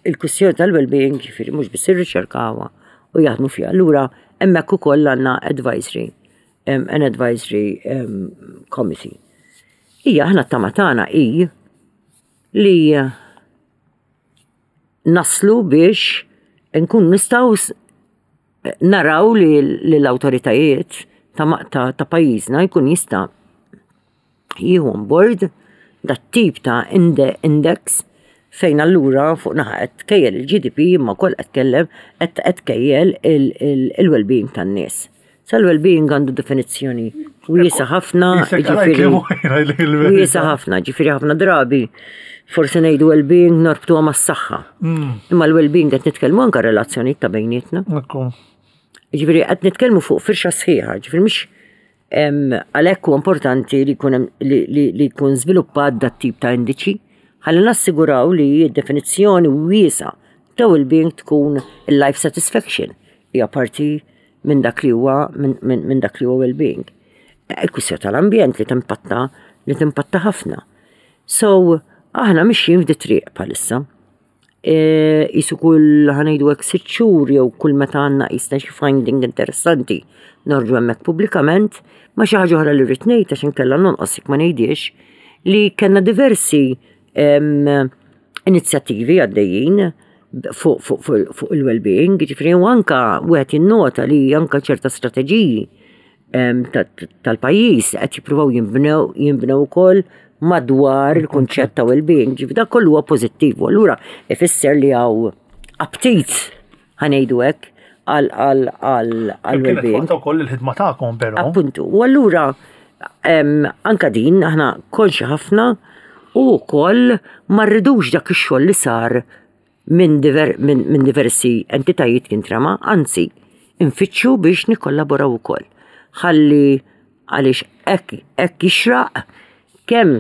il-kwistjoni tal-well-being, ġifieri mhux biss irriċerkawha u jaħdmu fiha. Allura hemmhekk ukoll għandna advisory, um, an advisory um, committee. Ija, aħna t-tama tagħna hi li naslu biex nkun nistgħu naraw li l-awtoritajiet ta', ta, ta' pajjiżna jkun jista' jieħu on board dat tip ta' index, fejn allura fuq naħa qed tkejjel il-G D P imma wkoll qed tkellem qed tkejjel il-well-being tan-nies. Sa l-well-being għandu definizzjoni wiesa ħafna, ġifieri wiesa ħafna, ġifieri ħafna drabi forsi ngħidu well-being norbtuha mas-saħħa. Mm. Imma l-well-being qed nitkellmu anke relazzjonijiet ta' bejnietna. Ġifieri qed nitkellmu fuq firxa sħiħa, ġifieri mhux għalhekk huwa importanti li jkun li jkun żviluppat dat tip ta' indiċi ħalli nassiguraw li d-definizzjoni wiesa ta' well-being tkun il-life satisfaction hija parti minn dak li huwa minn dak li huwa well-being. Il-kwistjoni tal-ambjent li timpatta li timpatta ħafna. So, aħna mixjin f'di triq bħalissa. Qisu kull, ħa ngħidu hekk, sitt xhur jew kull meta għandna qisna xi finding interessanti noħorġu hemmhekk pubblikament. Ma xi ħaġa oħra li rrid ngħid, għax inkella nonqos ma ngħidiex, li kellna diversi inizjattivi għaddejjin fuq fu, fu, fu il-well-being, ġifieri u anka wieħed jinnota li anka ċerta strateġiji tal-pajjiż qed jippruvaw jinbnew jinbnew ukoll madwar il-kunċett ta' well-being, ġifieri dak kollu huwa pożittiv. U allura ifisser li hawn aptit, ħa ngħidu hekk, għal għal għal għal well-being. Kienet ukoll il-ħidma tagħkom però. Appuntu. U allura anka din aħna konxi ħafna u wkoll ma rridux dak ix-xogħol li sar minn diver, min, min diversi entitajiet jintrama, anzi, infittxu biex nikkollaboraw ukoll. Ħalli għaliex hekk hekk jixraq kemm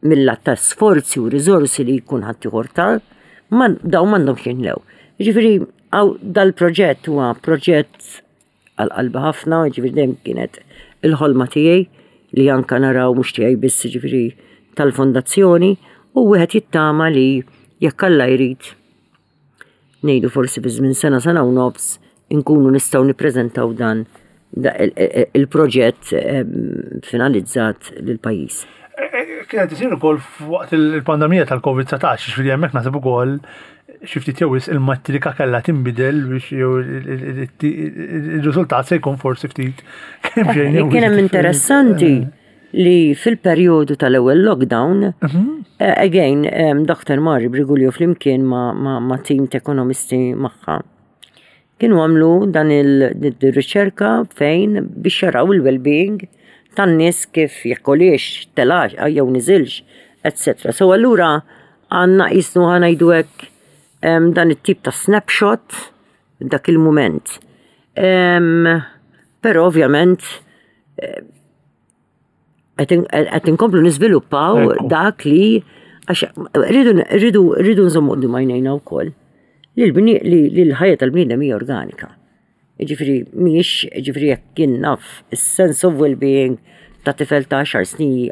mill-lat ta' sforzi u riżorsi li jkun ħaddieħor ta' ma daw m'għandhomx jinlew. Ġifieri għaw dal-proġett huwa proġett għal qalbi ħafna, ġifieri dejjem kienet il-ħolma tiegħi li anka naraw, mhux tiegħi biss, ġifieri tal-fondazzjoni, u wieħed jittama li jekk Alla jrid, ngħidu forsi fi żmien sena, sena u nofs, inkunu nistgħu nippreżentaw dan il-proġett finalizzat lil pajjiż. Kienet isir ukoll waqt il-pandemija tal-Covid dsatax, ġifieri hemmhekk naħseb ukoll xi ftit jew il-matrika kellha tinbidel biex jew il-riżultat se jkun forsi ftit kemm xejn. Kien hemm interessanti li fil-perjodu tal-ewwel lockdown, again, Doctor Mari Briguglio flimkien ma', ma, ma team ta' ekonomisti magħha kienu għamlu dan il-riċerka fejn biex jaraw il-well-being tan-nies kif jekk għoliex, telax, jew niżilx, et cetera. So allura għandna jisnu, ħa ngħidu hekk, dan it-tip ta' snapshot dak il-moment. Però ovvjament qed inkomplu niżviluppaw dak li għax rridu rridu nżommu quddiem għajnejna wkoll li l-ħajja tal-bniedem hija organika. Ġifieri mhijiex, ġifieri jekk kien naf is-sense of well-being ta' tifel ta' għaxar snin,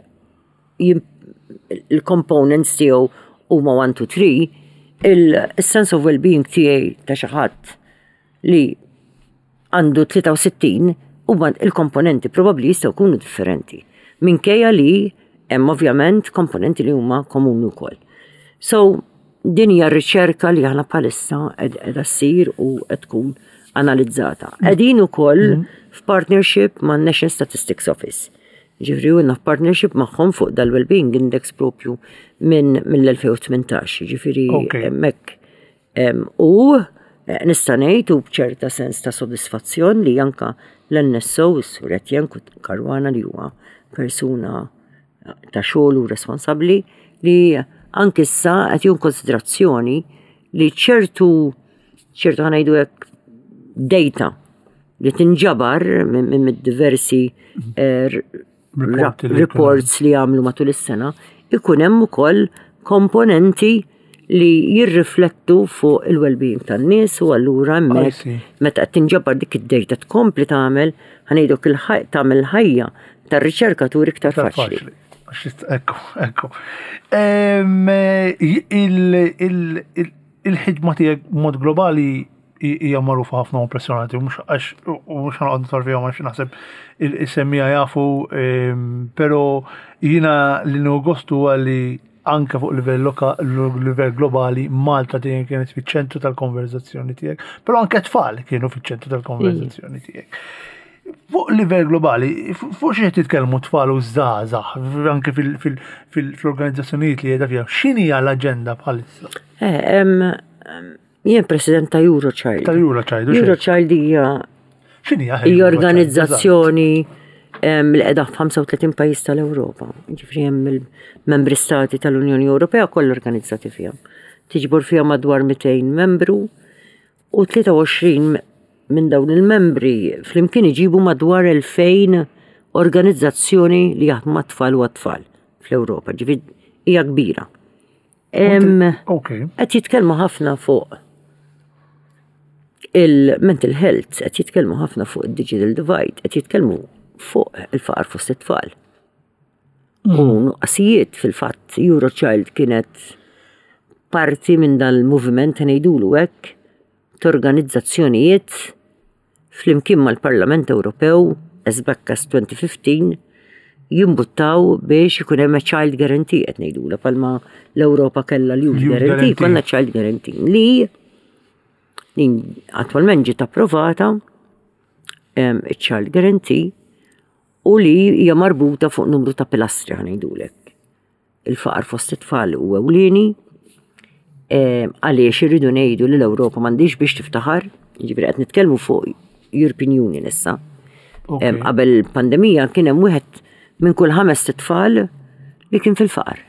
il-components tiegħu huma one, two, three, il-sense of well-being tiegħi ta' xi ħadd li għandu tlieta u sittin huma il-komponenti probabbli jistgħu jkunu differenti. Minkejja li Hemm ovvjament komponenti li huma komuni wkoll. So, din hija r-riċerka li aħna bħalissa qiegħda ssir u qed tkun analizzata. Qegħdin ukoll f'partnership ma' National Statistics Office. Ġifieri għandna f'partnership magħhom fuq dal-Wellbeing Index propju minn mill-elfejn u tmintax, ġifieri Ok. hemmhekk. Em, U eh, nista' ngħid u b'ċerta sens ta' sodisfazzjon li anka l-N S O, is-Sur Etienne Caruana, li huwa persuna ta' xogħol u responsabbli, li anke issa qed jieħu konsiderazzjoni li ċertu ċertu ħa ngħidu hekk data li tinġabar minn minn diversi eh, r- Reporti li reports li għamlu matul is-sena, ikun hemm ukoll komponenti li jirriflettu fuq il-well-being tan-nies u allura hemmhekk see. meta qed tinġabar dik id-data tkompli tagħmel, ħa ngħidu, tagħmel ħajja tar-riċerkatur iktar Iktar faċli. faċli. Għax ist- Ekku, ekku. Em, il- il- il- Il-ħidma tiegħek mod globali hi- hija magħrufa ħafna u impressjonanti, u mhux għax u mhux ħa noqgħod nidħol fihom għax naħseb il-semmiegħa jafu, em, però jiena li nieħu gost huwa li anke fuq livell loka, livell globali, Malta dejjem kienet fiċ-ċentru tal-konverzazzjoni tiegħek, però anke tfal kienu fiċ-ċentru tal-konverzazzjoni tiegħek. Fuq livell globali, fuq xi qed titkellmu tfal u żgħażagħ, anke fil-organizzazzjonijiet li qiegħda fiha, x'inhi l-aġenda bħalissa? Eh, em, em, Jien president ta' Eurochild. Ta' Eurochild, u xejn. Eurochild hija X'inhi hija organizzazzjoni em, li qiegħda f'ħamsa u tletin pajjiż tal-Ewropa. Ġifieri hemm il-membri stati tal-Unjoni Ewropea kollha organizzati fiha. Tiġbor fiha madwar mitejn membru u tlieta u għoxrin minn dawn il-membri flimkien iġibu madwar elfejn organizzazzjoni li jaħdmu mat-tfal u għat-tfal fl-Ewropa. Ġifieri hija kbira. Em, Ok. Qed jitkellmu ħafna fuq il-mental health, qed jitkellmu ħafna fuq il-digital divide, qed jitkellmu fuq il-faqar fost it-tfal. U nuqqasijiet. Fil-fatt, Eurochild kienet parti minn dal-moviment, ngħidulu hekk, t'organizzazzjonijiet flimkien mal-Parlament Ewropew as back as twenty fifteen jimbuttaw biex ikun hemm a child guarantee, qed ngħidula, bħalma l-Ewropa kellha l-Youth Youth Guarantee, Guarantee. konna child guarantee li din attwalment ġiet approvata, em, iċ-child guarantee, u li hija marbuta fuq numru ta' pilastri, ħa ngħidulek. Il-faqar fost it-tfal u ewlieni, em, għaliex irridu ngħidu li l-Ewropa m'għandix biex tiftaħar, jiġifieri qed nitkellmu fuq European Union issa. Ok. Em, Qabel il-pandemija kien hemm wieħed minn kull ħames tfal li kien fil-faqar.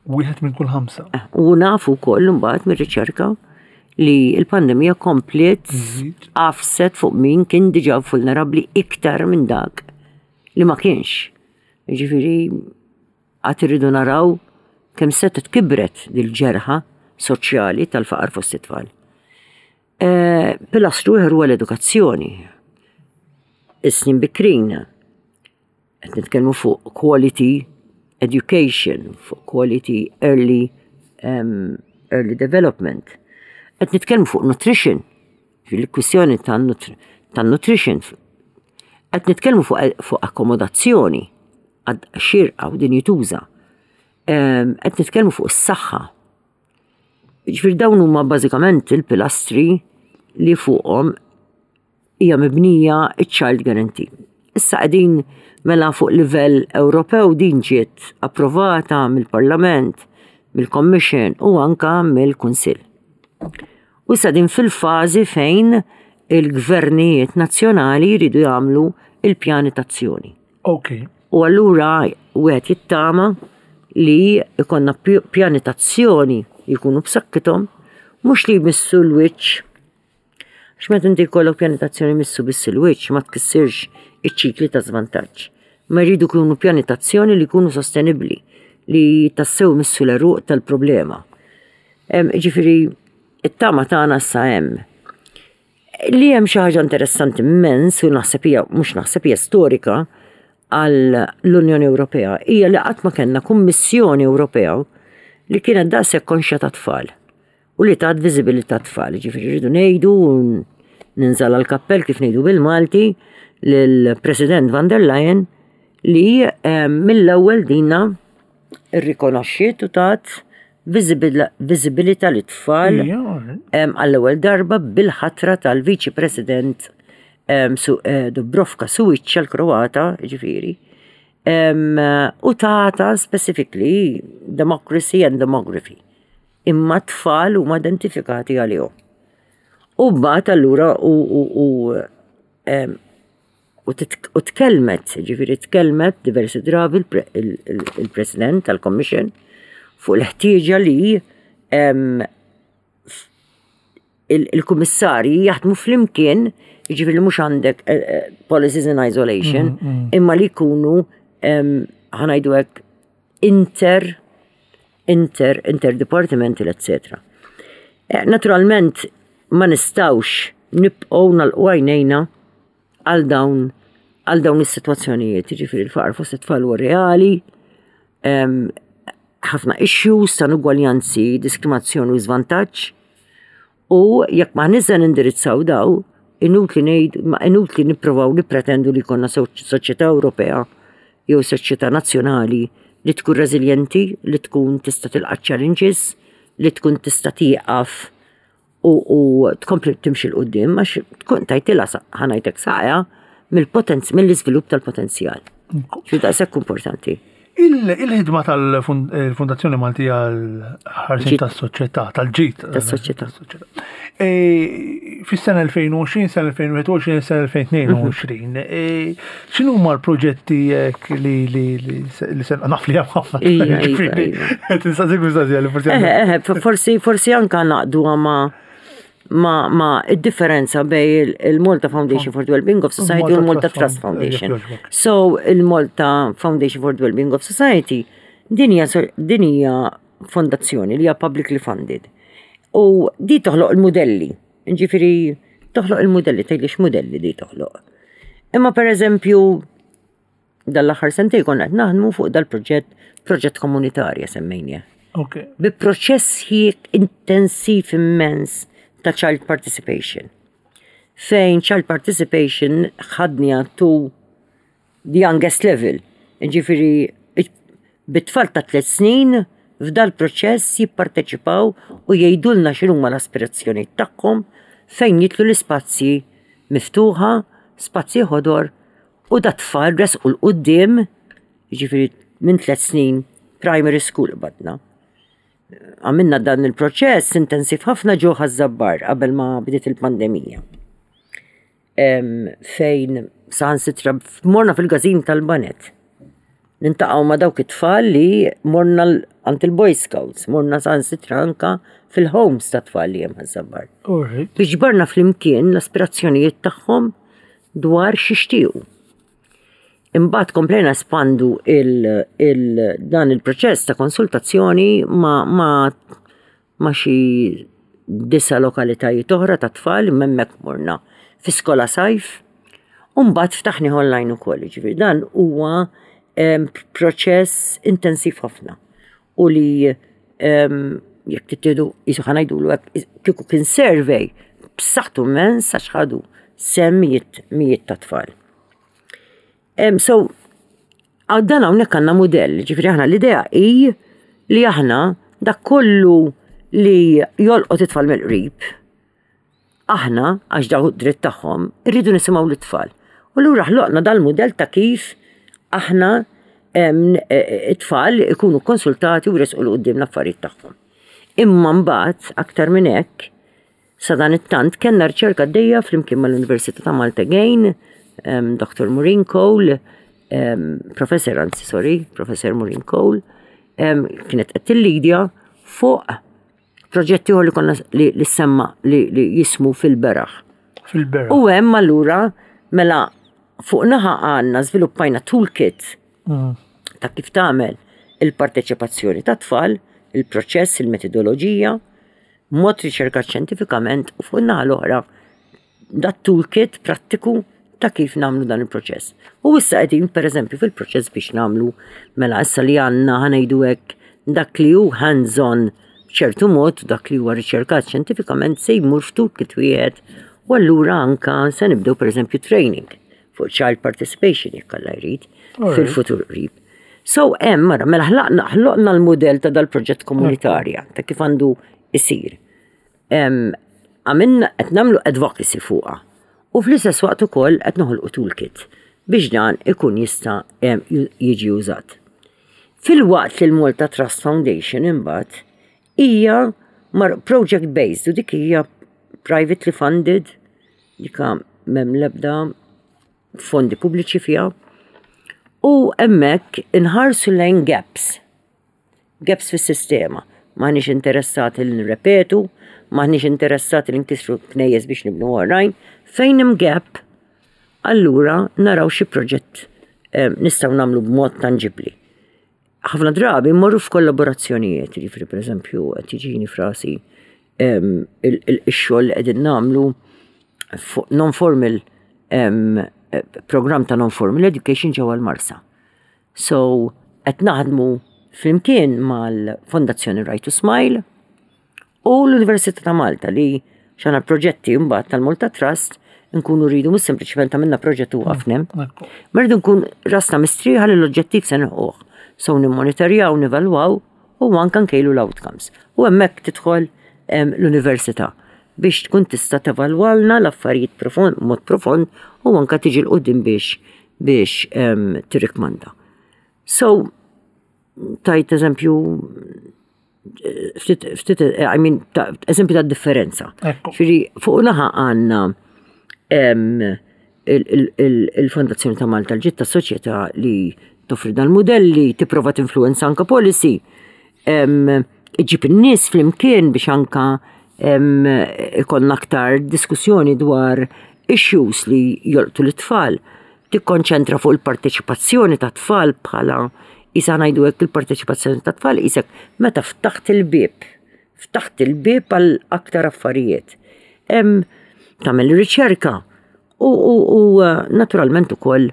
Wieħed minn kull ħamsa. Eh, U nafu wkoll imbagħad mir-riċerka li l-pandemija kompliet Żid. għafset fuq min kien diġà vulnerabbli iktar minn dak li ma kienx. Ġifieri għad irridu naraw kemm setgħet kibret dil-ġerħa soċjali tal-faqar fost it-tfal. Eh, Pilastru ieħor huwa l-edukazzjoni. Is-snin bikrin. Qed nitkellmu fuq quality education, fuq quality early, um, early development. Qed nitkellmu fuq nutrition, fil-kwistjoni ta' nutri- ta' nutrition. Qed nitkellmu fuq, fuq akkomodazzjoni għad xirqa u dinjituża. Em, Qed nitkellmu fuq is-saħħa. Ġifieri dawn huma bażikament il-pilastri li fuqhom hija mibnija iċ-Child Guarantee. Issa qegħdin mela fuq livell Ewropew din ġiet approvata mill-Parlament, mill-Commission u anka mill-Kunsill. U issa din fil-fażi fejn il-gvernijiet nazzjonali jridu jagħmlu il-pjani tazzjoni. Ok. U allura wieħed jittama li ikonna pj- pjani tazzjoni jkunu b'saħħithom, mhux li jmissu l-wiċċ. Għax meta inti jkollok pjani tazzjoni jmissu biss il-wiċċ, ma tkissirx iċ-ċikli ta' żvantaġġ. Ma jridu jkunu pjani tazzjoni li jkunu sostenibbli, li tassew missu l-għeruq tal-problema. Em, Ġifieri, it-tama tagħna issa hemm. Li hemm xi ħaġa interessanti immens u naħseb hija, mhux naħseb, hija storika għal l-Unjoni Ewropea, hija li qatt ma kellna Kummissjoni Ewropea li kienet daqshekk konxja ta' tfal u li tat viżibilità tfal. Ġifieri rridu ngħidu, ninżal għal-kappell kif ngħidu bil-Malti, lill-President van der Leyen li eh, mill-ewwel dina Irrikonoxxiet u tat viżibilità lit-tfal Ija, alright. em, għall-ewwel darba bil-ħatra tal-Viċi President em, su, eh, Dubravka Suica l-Kroata, ġifieri, em, u tata specifically Democracy and Demography. Imma tfal huma identifikati għalihom. U mbagħad allura u, u, u, em, u, tit- u tkellmet, ġifieri tkellmet diversi drabi il-pre- il- il- il-President tal-Commission fuq l-ħtieġa li em, il- il-kummissarji jaħdmu flimkien, jiġifieri mhux għandek eh, eh, policies in isolation, imma li jkunu em, ħa ngħidu hekk inter inter interdepartmental, etc. Eh, Naturalment ma nistgħux nibqgħu nagħlqu għajnejna għal dawn għal dawn is-sitwazzjonijiet, jiġifieri l-faqar fost it-tfal huwa reali, em, ħafna issues ta' inugwaljanzi, diskriminazzjoni u żvantaġġ. U jekk ma nizza nindirizzaw daw, inutli ngħid, ma inutli nipprovaw nippretendu li jkollna so- soċjetà Ewropea jew soċjetà nazzjonali li tkun reżiljenti, li tkun tista' tilqa' challenges, li tkun tista' tieqaf u, u tkompli timxi 'l quddiem għax tkun tajtilha ħa ngħidlek saqja mill-potenz mill-iżvilupp tal-potenzjal. Xi daqshekk importanti. Il- Il-ħidma tal-Fondazzjoni Maltija għal-ħarsien Ġid. tas-soċjetà, tal-ġid. Tas-soċjetà. E, Fis-sena elfejn u għoxrin, sena elfejn u wieħed u għoxrin, sena elfejn u tnejn u għoxrin, e, x'inhu huma l-proġetti hekk li li li li se naf li hemm ħafna. Ija, iva, Ġifieri, iva. Tinsaqsik mistoqsija li forsi Eħe, eħe, forsi, forsi anka naqdu ma ma ma id-differenza bej il- il-Malta Foundation for the Wellbeing of Society u l-Malta Trust Foundation. Jekk jogħġbok. So, il-Malta Foundation for the Wellbeing of Society din hija so- din hija fondazzjoni li hija publicly funded. U di toħloq il-modelli. Ġifieri toħloq il-modelli, tgħidli x'modelli di toħloq. Imma per eżempju, dal-aħħar sentej konna qed naħdmu fuq dal-proġett, proġett komunitarja semmejnieh Ok. bi proċess ħiek intensiv immens ta' child participation. Fejn child participation ħadniha to the youngest level. Ġifieri, bit-tfal ta' tliet snin f'dal proċess jipparteċipaw u jgħidulna x'inhuma l-aspirazzjoni tagħhom fejn jidħlu l-ispazji miftuħa, spazji ħodor u dat-tfal resqu 'l quddiem, ġifieri minn tliet snin primary school badna. Għamilna dan il-proċess intensiv ħafna ġo Ħaż-Żabbar qabel ma bdiet il-pandemija. Em, fejn saħansitra morna fil-każin tal-baned. Niltaqgħu ma' dawk it-tfal li morna l- għand il-Boy Scouts, morna saħansitra anka fil-homes ta' tfal li hemm Ħaż-Żabbar. Alright. Biex ġbarna flimkien l-aspirazzjonijiet tagħhom dwar x'jixtiequ. Imbagħad komplejna nespandu il, il, dan il-proċess ta' konsultazzjoni ma, ma, ma xi disa lokalitajiet oħra ta' tfal hemmhekk morna fi skola sajf. U mbagħad ftaħni online ukoll, ġifieri dan huwa em, proċess intensiv ħafna. U li em, jekk tittieħdu jisu ħa ngħidulu hekk, kieku kien survey b'saħħtu immens għax ħadu sehem mijiet mijiet ta' tfal. Em, so, għaw dan hawnhekk għandna modell, ġifieri aħna l-idea hi li aħna dak kollu li jolqot it-tfal mill-qrib, aħna, għax daw dritt tagħhom, irridu nisimgħu l-tfal. U lura ħloqna dal-modell ta' kif aħna em, e- e- it-tfal ikunu konsultati u resqu 'l quddiem l-affarijiet tagħhom. Imma mbagħad aktar minn hekk, sa dan it-tant kellna riċerka għaddejja flimkien mal-Università ta' Malta again, um, Doctor Maureen Cole, um, Professor, anzi, sorry, Professor Maureen Cole, um, kienet qed tillidja fuq proġetti li konna li, li semma li, li jismu fil-beraħ. Fil-beraħ. U hemm allura mela fuq naħa għandna żviluppajna toolkit Mm. ta' kif tagħmel il-parteċipazzjoni ta' tfal, il-proċess, il-metodoloġija, mod riċerkat xjentifikament u fuq naħa l-oħra dat toolkit prattiku ta' kif nagħmlu dan il-proċess. U issa qegħdin pereżempju fil-proċess biex nagħmlu mela issa li għandna ħa ngħidu hekk dak li hu hands-on b'ċertu mod dak li huwa riċerkat xjentifikament se jmur f'toolkit wieħed u allura anka se nibdew pereżempju training fuq child participation jekk Alla jrid Alright. fil-futur qrib. So, hemm mara, mela ħlaqna ħloqna l-modell ta' dal-proġett komunitarja, ta' kif għandu isir. Għamilna qed nagħmlu advocacy fuqha. U fl-istess waqt ukoll qed noħolqu toolkit biex dan ikun jista' jiġi użat. Filwaqt li l-Malta Trust Foundation imbagħad hija project based u dik hija privately funded, dika m'hemm l-ebda fondi pubbliċi fiha. U hemmhekk inħarsu lejn gaps. Gaps fis-sistema. M'aħniex interessati li nirrepetu, m'aħniex interessati li nkissru knejjes biex nibnu oħrajn. Fejn hemm gap, allura naraw xi proġett eh, nistgħu nagħmlu b'mod tangibli. Ħafna drabi mmorru f'kollaborazzjonijiet, jiġifieri pereżempju qed jiġini f'rasi ix-xogħol li qegħdin nagħmlu fuq non-formal program ta' non-formal education ġewwa l-Marsa. So, qed naħdmu flimkien mal-Fondazzjoni Right to Smile u l-Università ta' Malta li xana proġetti mbagħad tal-Malta Trust nkunu rridu mhux sempliċement għamilna proġett u waqafna. Ma rridu nkun rasna mistrieħa li l-oġġettiv se nilħquh. So nimmonitorjaw, nevalwaw u anka nkejlu l-outcomes. U hemmhekk tidħol l-università biex tkun tista' tevalwalna l-affarijiet profond, mod profond u anka tiġi 'l quddiem biex biex tirrikmanda. So, tajt eżempju ftit, ftit, I mean, eżempju ta' differenza. Ġifieri, fuq naħa għandna il-Fondazzjoni ta' Malta l-ġitta soċjetà li toffri dan modelli, tipprova tinfluenza anka policy, iġib in-nies flimkien biex anka ikollna aktar diskussjoni dwar issues li jolqtu l-tfal. Tikkonċentra fuq il-parteċipazzjoni ta' tfal bħala isa ngħidu hekk il-parteċipazzjoni ta' tfal isek meta ftaħt il-bib, ftaħt il-bib għal aktar affarijiet. Tagħmel riċerka u, u, u naturalment ukoll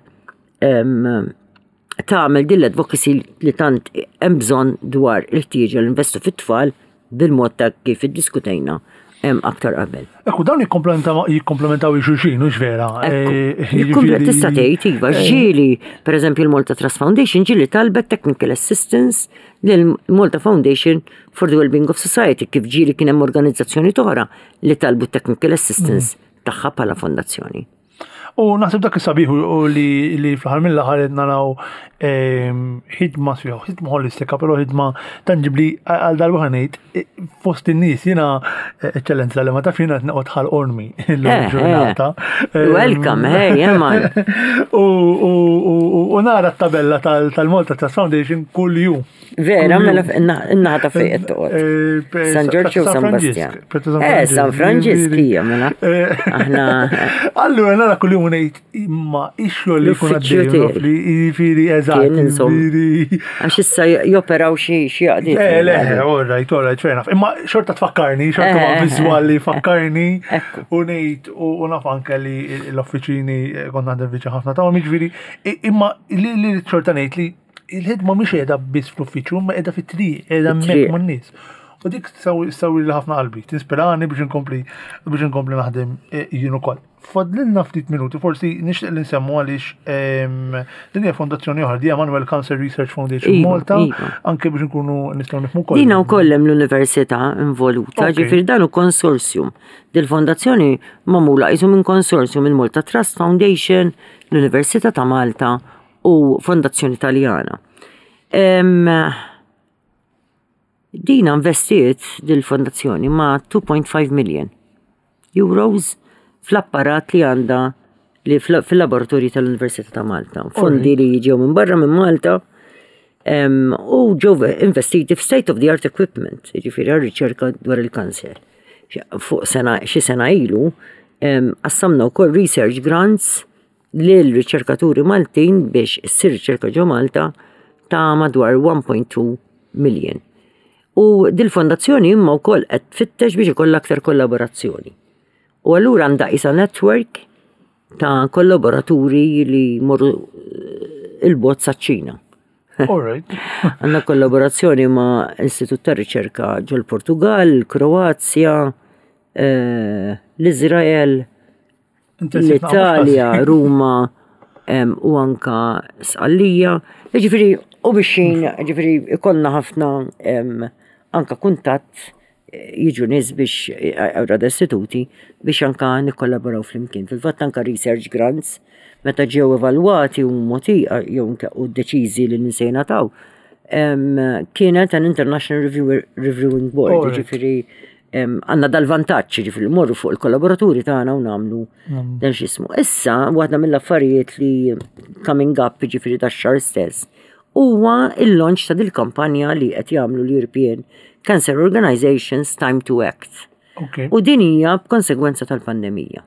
tagħmel din l-advocacy li tant hemm bżonn dwar il-ħtieġa li investu fit-tfal bil-mod ta' kif iddiskutejna hemm aktar qabel. Ekku, dawn jikkomplementaw xulxin, hux vera? Tista' tgħid iva, ġieli, pereżempju l-Malta Trust Foundation ġieli talbet technical assistance lil Malta Foundation for the Wellbeing of Society kif ġieli kien hemm organizzazzjoni oħra li talbu technical assistance tagħha bħala fondazzjoni. U naħseb dak is-sabiħ u li li fl-aħħar mill-aħħar qed naraw ehm, ħidma sfiħ, ħidma holistika, però ħidma tangibli għal darba ngħid eh, fost in-nies jiena eh, eċċellenza li ma taf jiena qed noqgħod Ħal Qormi illum Eh, ġurnata. Welcome, hey, yeah, man. U u- u nara t-tabella tal- tal-Malta Trust Foundation kull jum. Vera, mela in-naħa ta' fejn qed toqgħod. Eh, San Ġorġ u San Bastian. Eh, San Franġisk hija mela. Aħna Allura nara kull jum ngħid imma ix-xogħol li jkun L-uffiċċju għaddej, tiegħi. li jiġifieri eżatt. Kien, insomma. jiġifieri- għax issa joperaw xi xi għaqdiet. Eh, le, all right, all right, fair enough. Imma xorta tfakkarni, xorta ma Eh, eh, viżwali fakkarni Ekku. u ngħid u u naf anke li l-offiċini eh, kont għandha viċi ħafna ta' jiġifieri imma li li xorta ngħid li il-ħidma mhix qiegħda biss fl-uffiċċju, imma qiegħda fit-triq, qiegħda hemmhekk Fit-triq. man-nies. U dik sawi li ħafna qalbi, tinspirani biex inkompli biex inkompli naħdem eh, jien ukoll. Fadlilna ftit minuti, forsi nixtieq li nsemmu għaliex ehm, din hija fondazzjoni oħra, di Emanuel Cancer Research Foundation Iva, Malta, iva. anke biex nkunu nistgħu nifhmu koll. Dina wkoll hemm l-università involuta, Ok. ġifieri dan hu konsorzjum. Dil-fondazzjoni magħmula qisu minn konsorzjum il-Malta Trust Foundation, l-Università ta' Malta u Fondazzjoni Taljana. Em, Dina investiet dil-fondazzjoni ma' two point five million euros fl-apparat li għandha li fl- fil-laboratorji tal-Università ta' Malta. Fondi li ġew minn barra minn Malta em, u ġew investiti f'state of the art equipment, ġifieri għal riċerka dwar il-kanser. Fuq sena, xi sena ilu, em, qassamna wkoll research grants lil riċerkaturi Maltin biex issir riċerka ġo Malta ta' madwar one point two million. U dil-fondazzjoni imma wkoll qed tfittex biex ikollha aktar kollaborazzjoni. U allura għandha isa network ta' kollaboraturi li morru eh, il-bogħod saċ-Ċina. All right. Għandna kollaborazzjoni ma' Istitut ta' Riċerka ġol Portugal, Kroazja, eh, l-Izrael, Intensiv l-Italja, Ruma em, u anka Sqallija. Ġifieri, U biex ġifieri ikollna ħafna anka kuntatt, jiġu nies biex rada istituti biex anka nikkollaboraw flimkien. Fil-fatt anka research grants meta ġew evalwati u moti jew u deċiżi li se jingħataw, kienet an International Reviewing Board, ġifieri għandna dal-vantaġġ, ġifieri morru fuq il-kollaboraturi tagħna u nagħmlu dan x'ismu. Issa, waħda mill-affarijiet li coming up, ġifieri tax-xahar stess, huwa il-launch ta' dil-kampanja li qed jagħmlu l-European Cancer Organizations, Time to Act. U din hija b'konsegwenza tal-pandemija.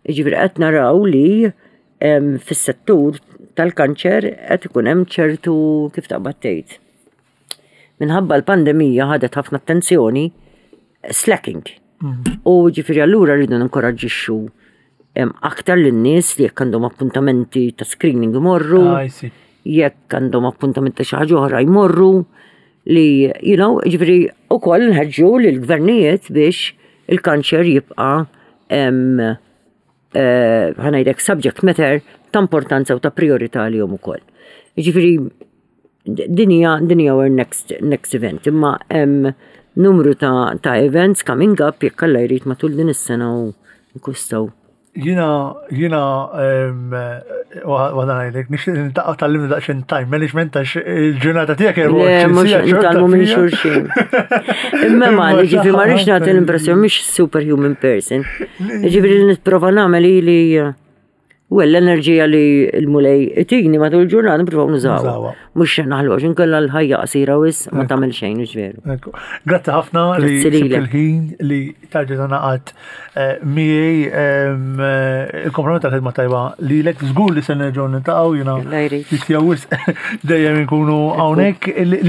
Ġifieri qed naraw li fis-settur tal-kanċer qed ikun hemm ċertu, kif taqbad tgħid. Minħabba l-pandemija ħadet ħafna attenzjoni, slacking. Mm. U ġifieri allura rridu ninkoraġġixxu aktar lin-nies li jekk għandhom appuntamenti ta' screening imorru, ah, jekk għandhom appuntamenti ta' xi ħaġa oħra jmorru, li, you know, ġifieri ukoll nħeġġu lill-gvernijiet biex il-kanċer jibqa' eh, ħa ngħidlek subject matter ta' importanza u ta' priorità li jom ukoll. Ġifieri din hija din hija our next, next event, imma hemm numru ta', ta' events coming up jekk Alla jrid matul din is-sena u nkustaw. Jiena, jiena, għadna ngħidlek, nixtieq niltaqgħu tgħallimni daqsxejn time management għax il-ġurnata tiegħek Le, mhux nitgħallmu minn xulxin. Imma ma, ġifieri ma rridx nagħti l-impressjoni mhix superhuman person. Ġifieri li nipprova nagħmel li, well, l-enerġija li l-Mulej itini matul il-ġurnata nipprovaw nużaw. Mhux naħlu għax inkella l-ħajja qasira wisq ma tagħmel xejn, mhux veru. Grazzi ħafna li il-ħin li tarġa naqat eh, miegħi, eh, il-kompromett tal-ħidma tajba li lek żgur li se nerġgħu niltaqgħu, jiena jistgħu dejjem inkunu hawnhekk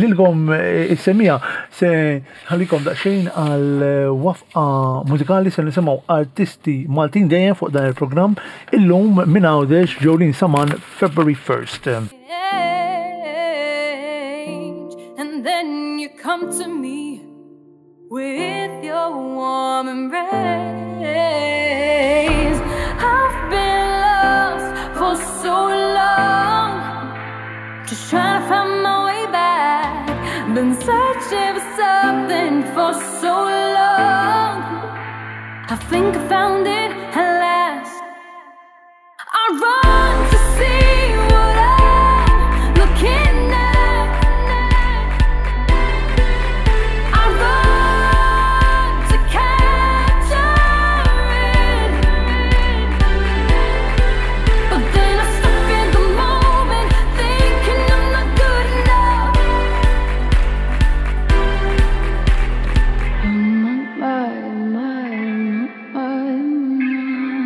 lilkom eh, is-semmiegħa. Se nħallikom daqsxejn għal waqfa mużikali, se nisimgħu artisti Maltin dejjem fuq dan il-programm, illum minn Għawdex, Jolene Saman, February first. And then you come to me with your warm embrace. I've been lost for so long, just trying to find my way back. Been searching for something for so long. I think I found it at last. I run to see what I'm looking at. I run to capture it. But then I stop in the moment, thinking I'm not good enough. My, my, my, my.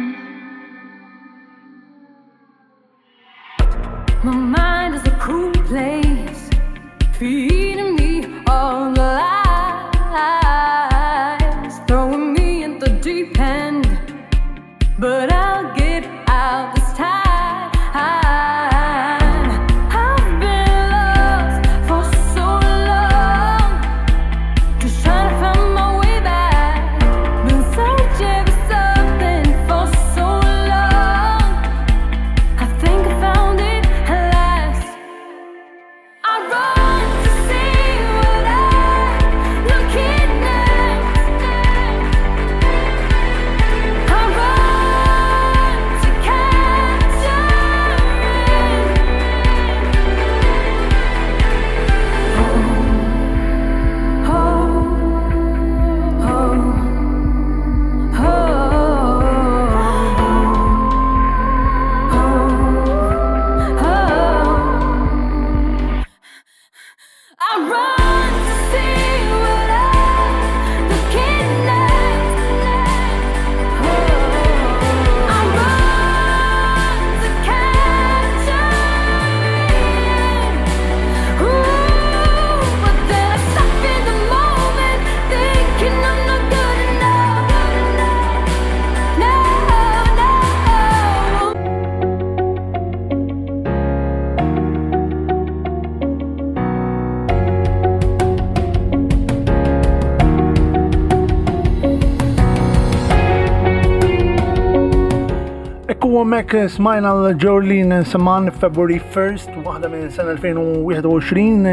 Hemmhekk smajna l-Jolene Saman, February first, waħda minn sena elfejn u wieħed u għoxrin.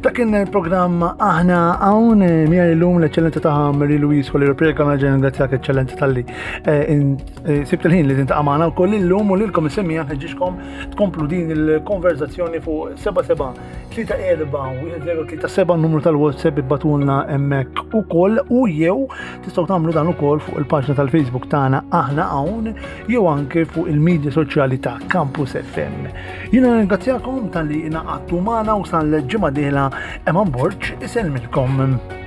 Dak kien il-programm Aħna Hawn. Miegħi llum l-Eċċellenza ta' Marie Louise Coleiro Preca. Nerġa' nirringrazzjak, Eċċellenza, talli eh, in- eh, sibt il-ħin li tintaqa' magħna wkoll illum, u lilkom is-semmiegħa nħeġġiġkom tkomplu din il-konverzazzjoni fuq seba' seba' tlieta erba' wieħed zero tlieta seba', numru tal-WhatsApp. Ibagħtulna hemmhekk ukoll u jew tistgħu tagħmlu dan ukoll fuq il-paġna tal-Facebook tagħna Aħna Hawn jew anke fuq il-medja soċjali ta' Campus F M. Jiena ringrazzjakom talli ingħaqadtu magħna u sal-ġimgħa dieħla, Eman Borg isellmilkom.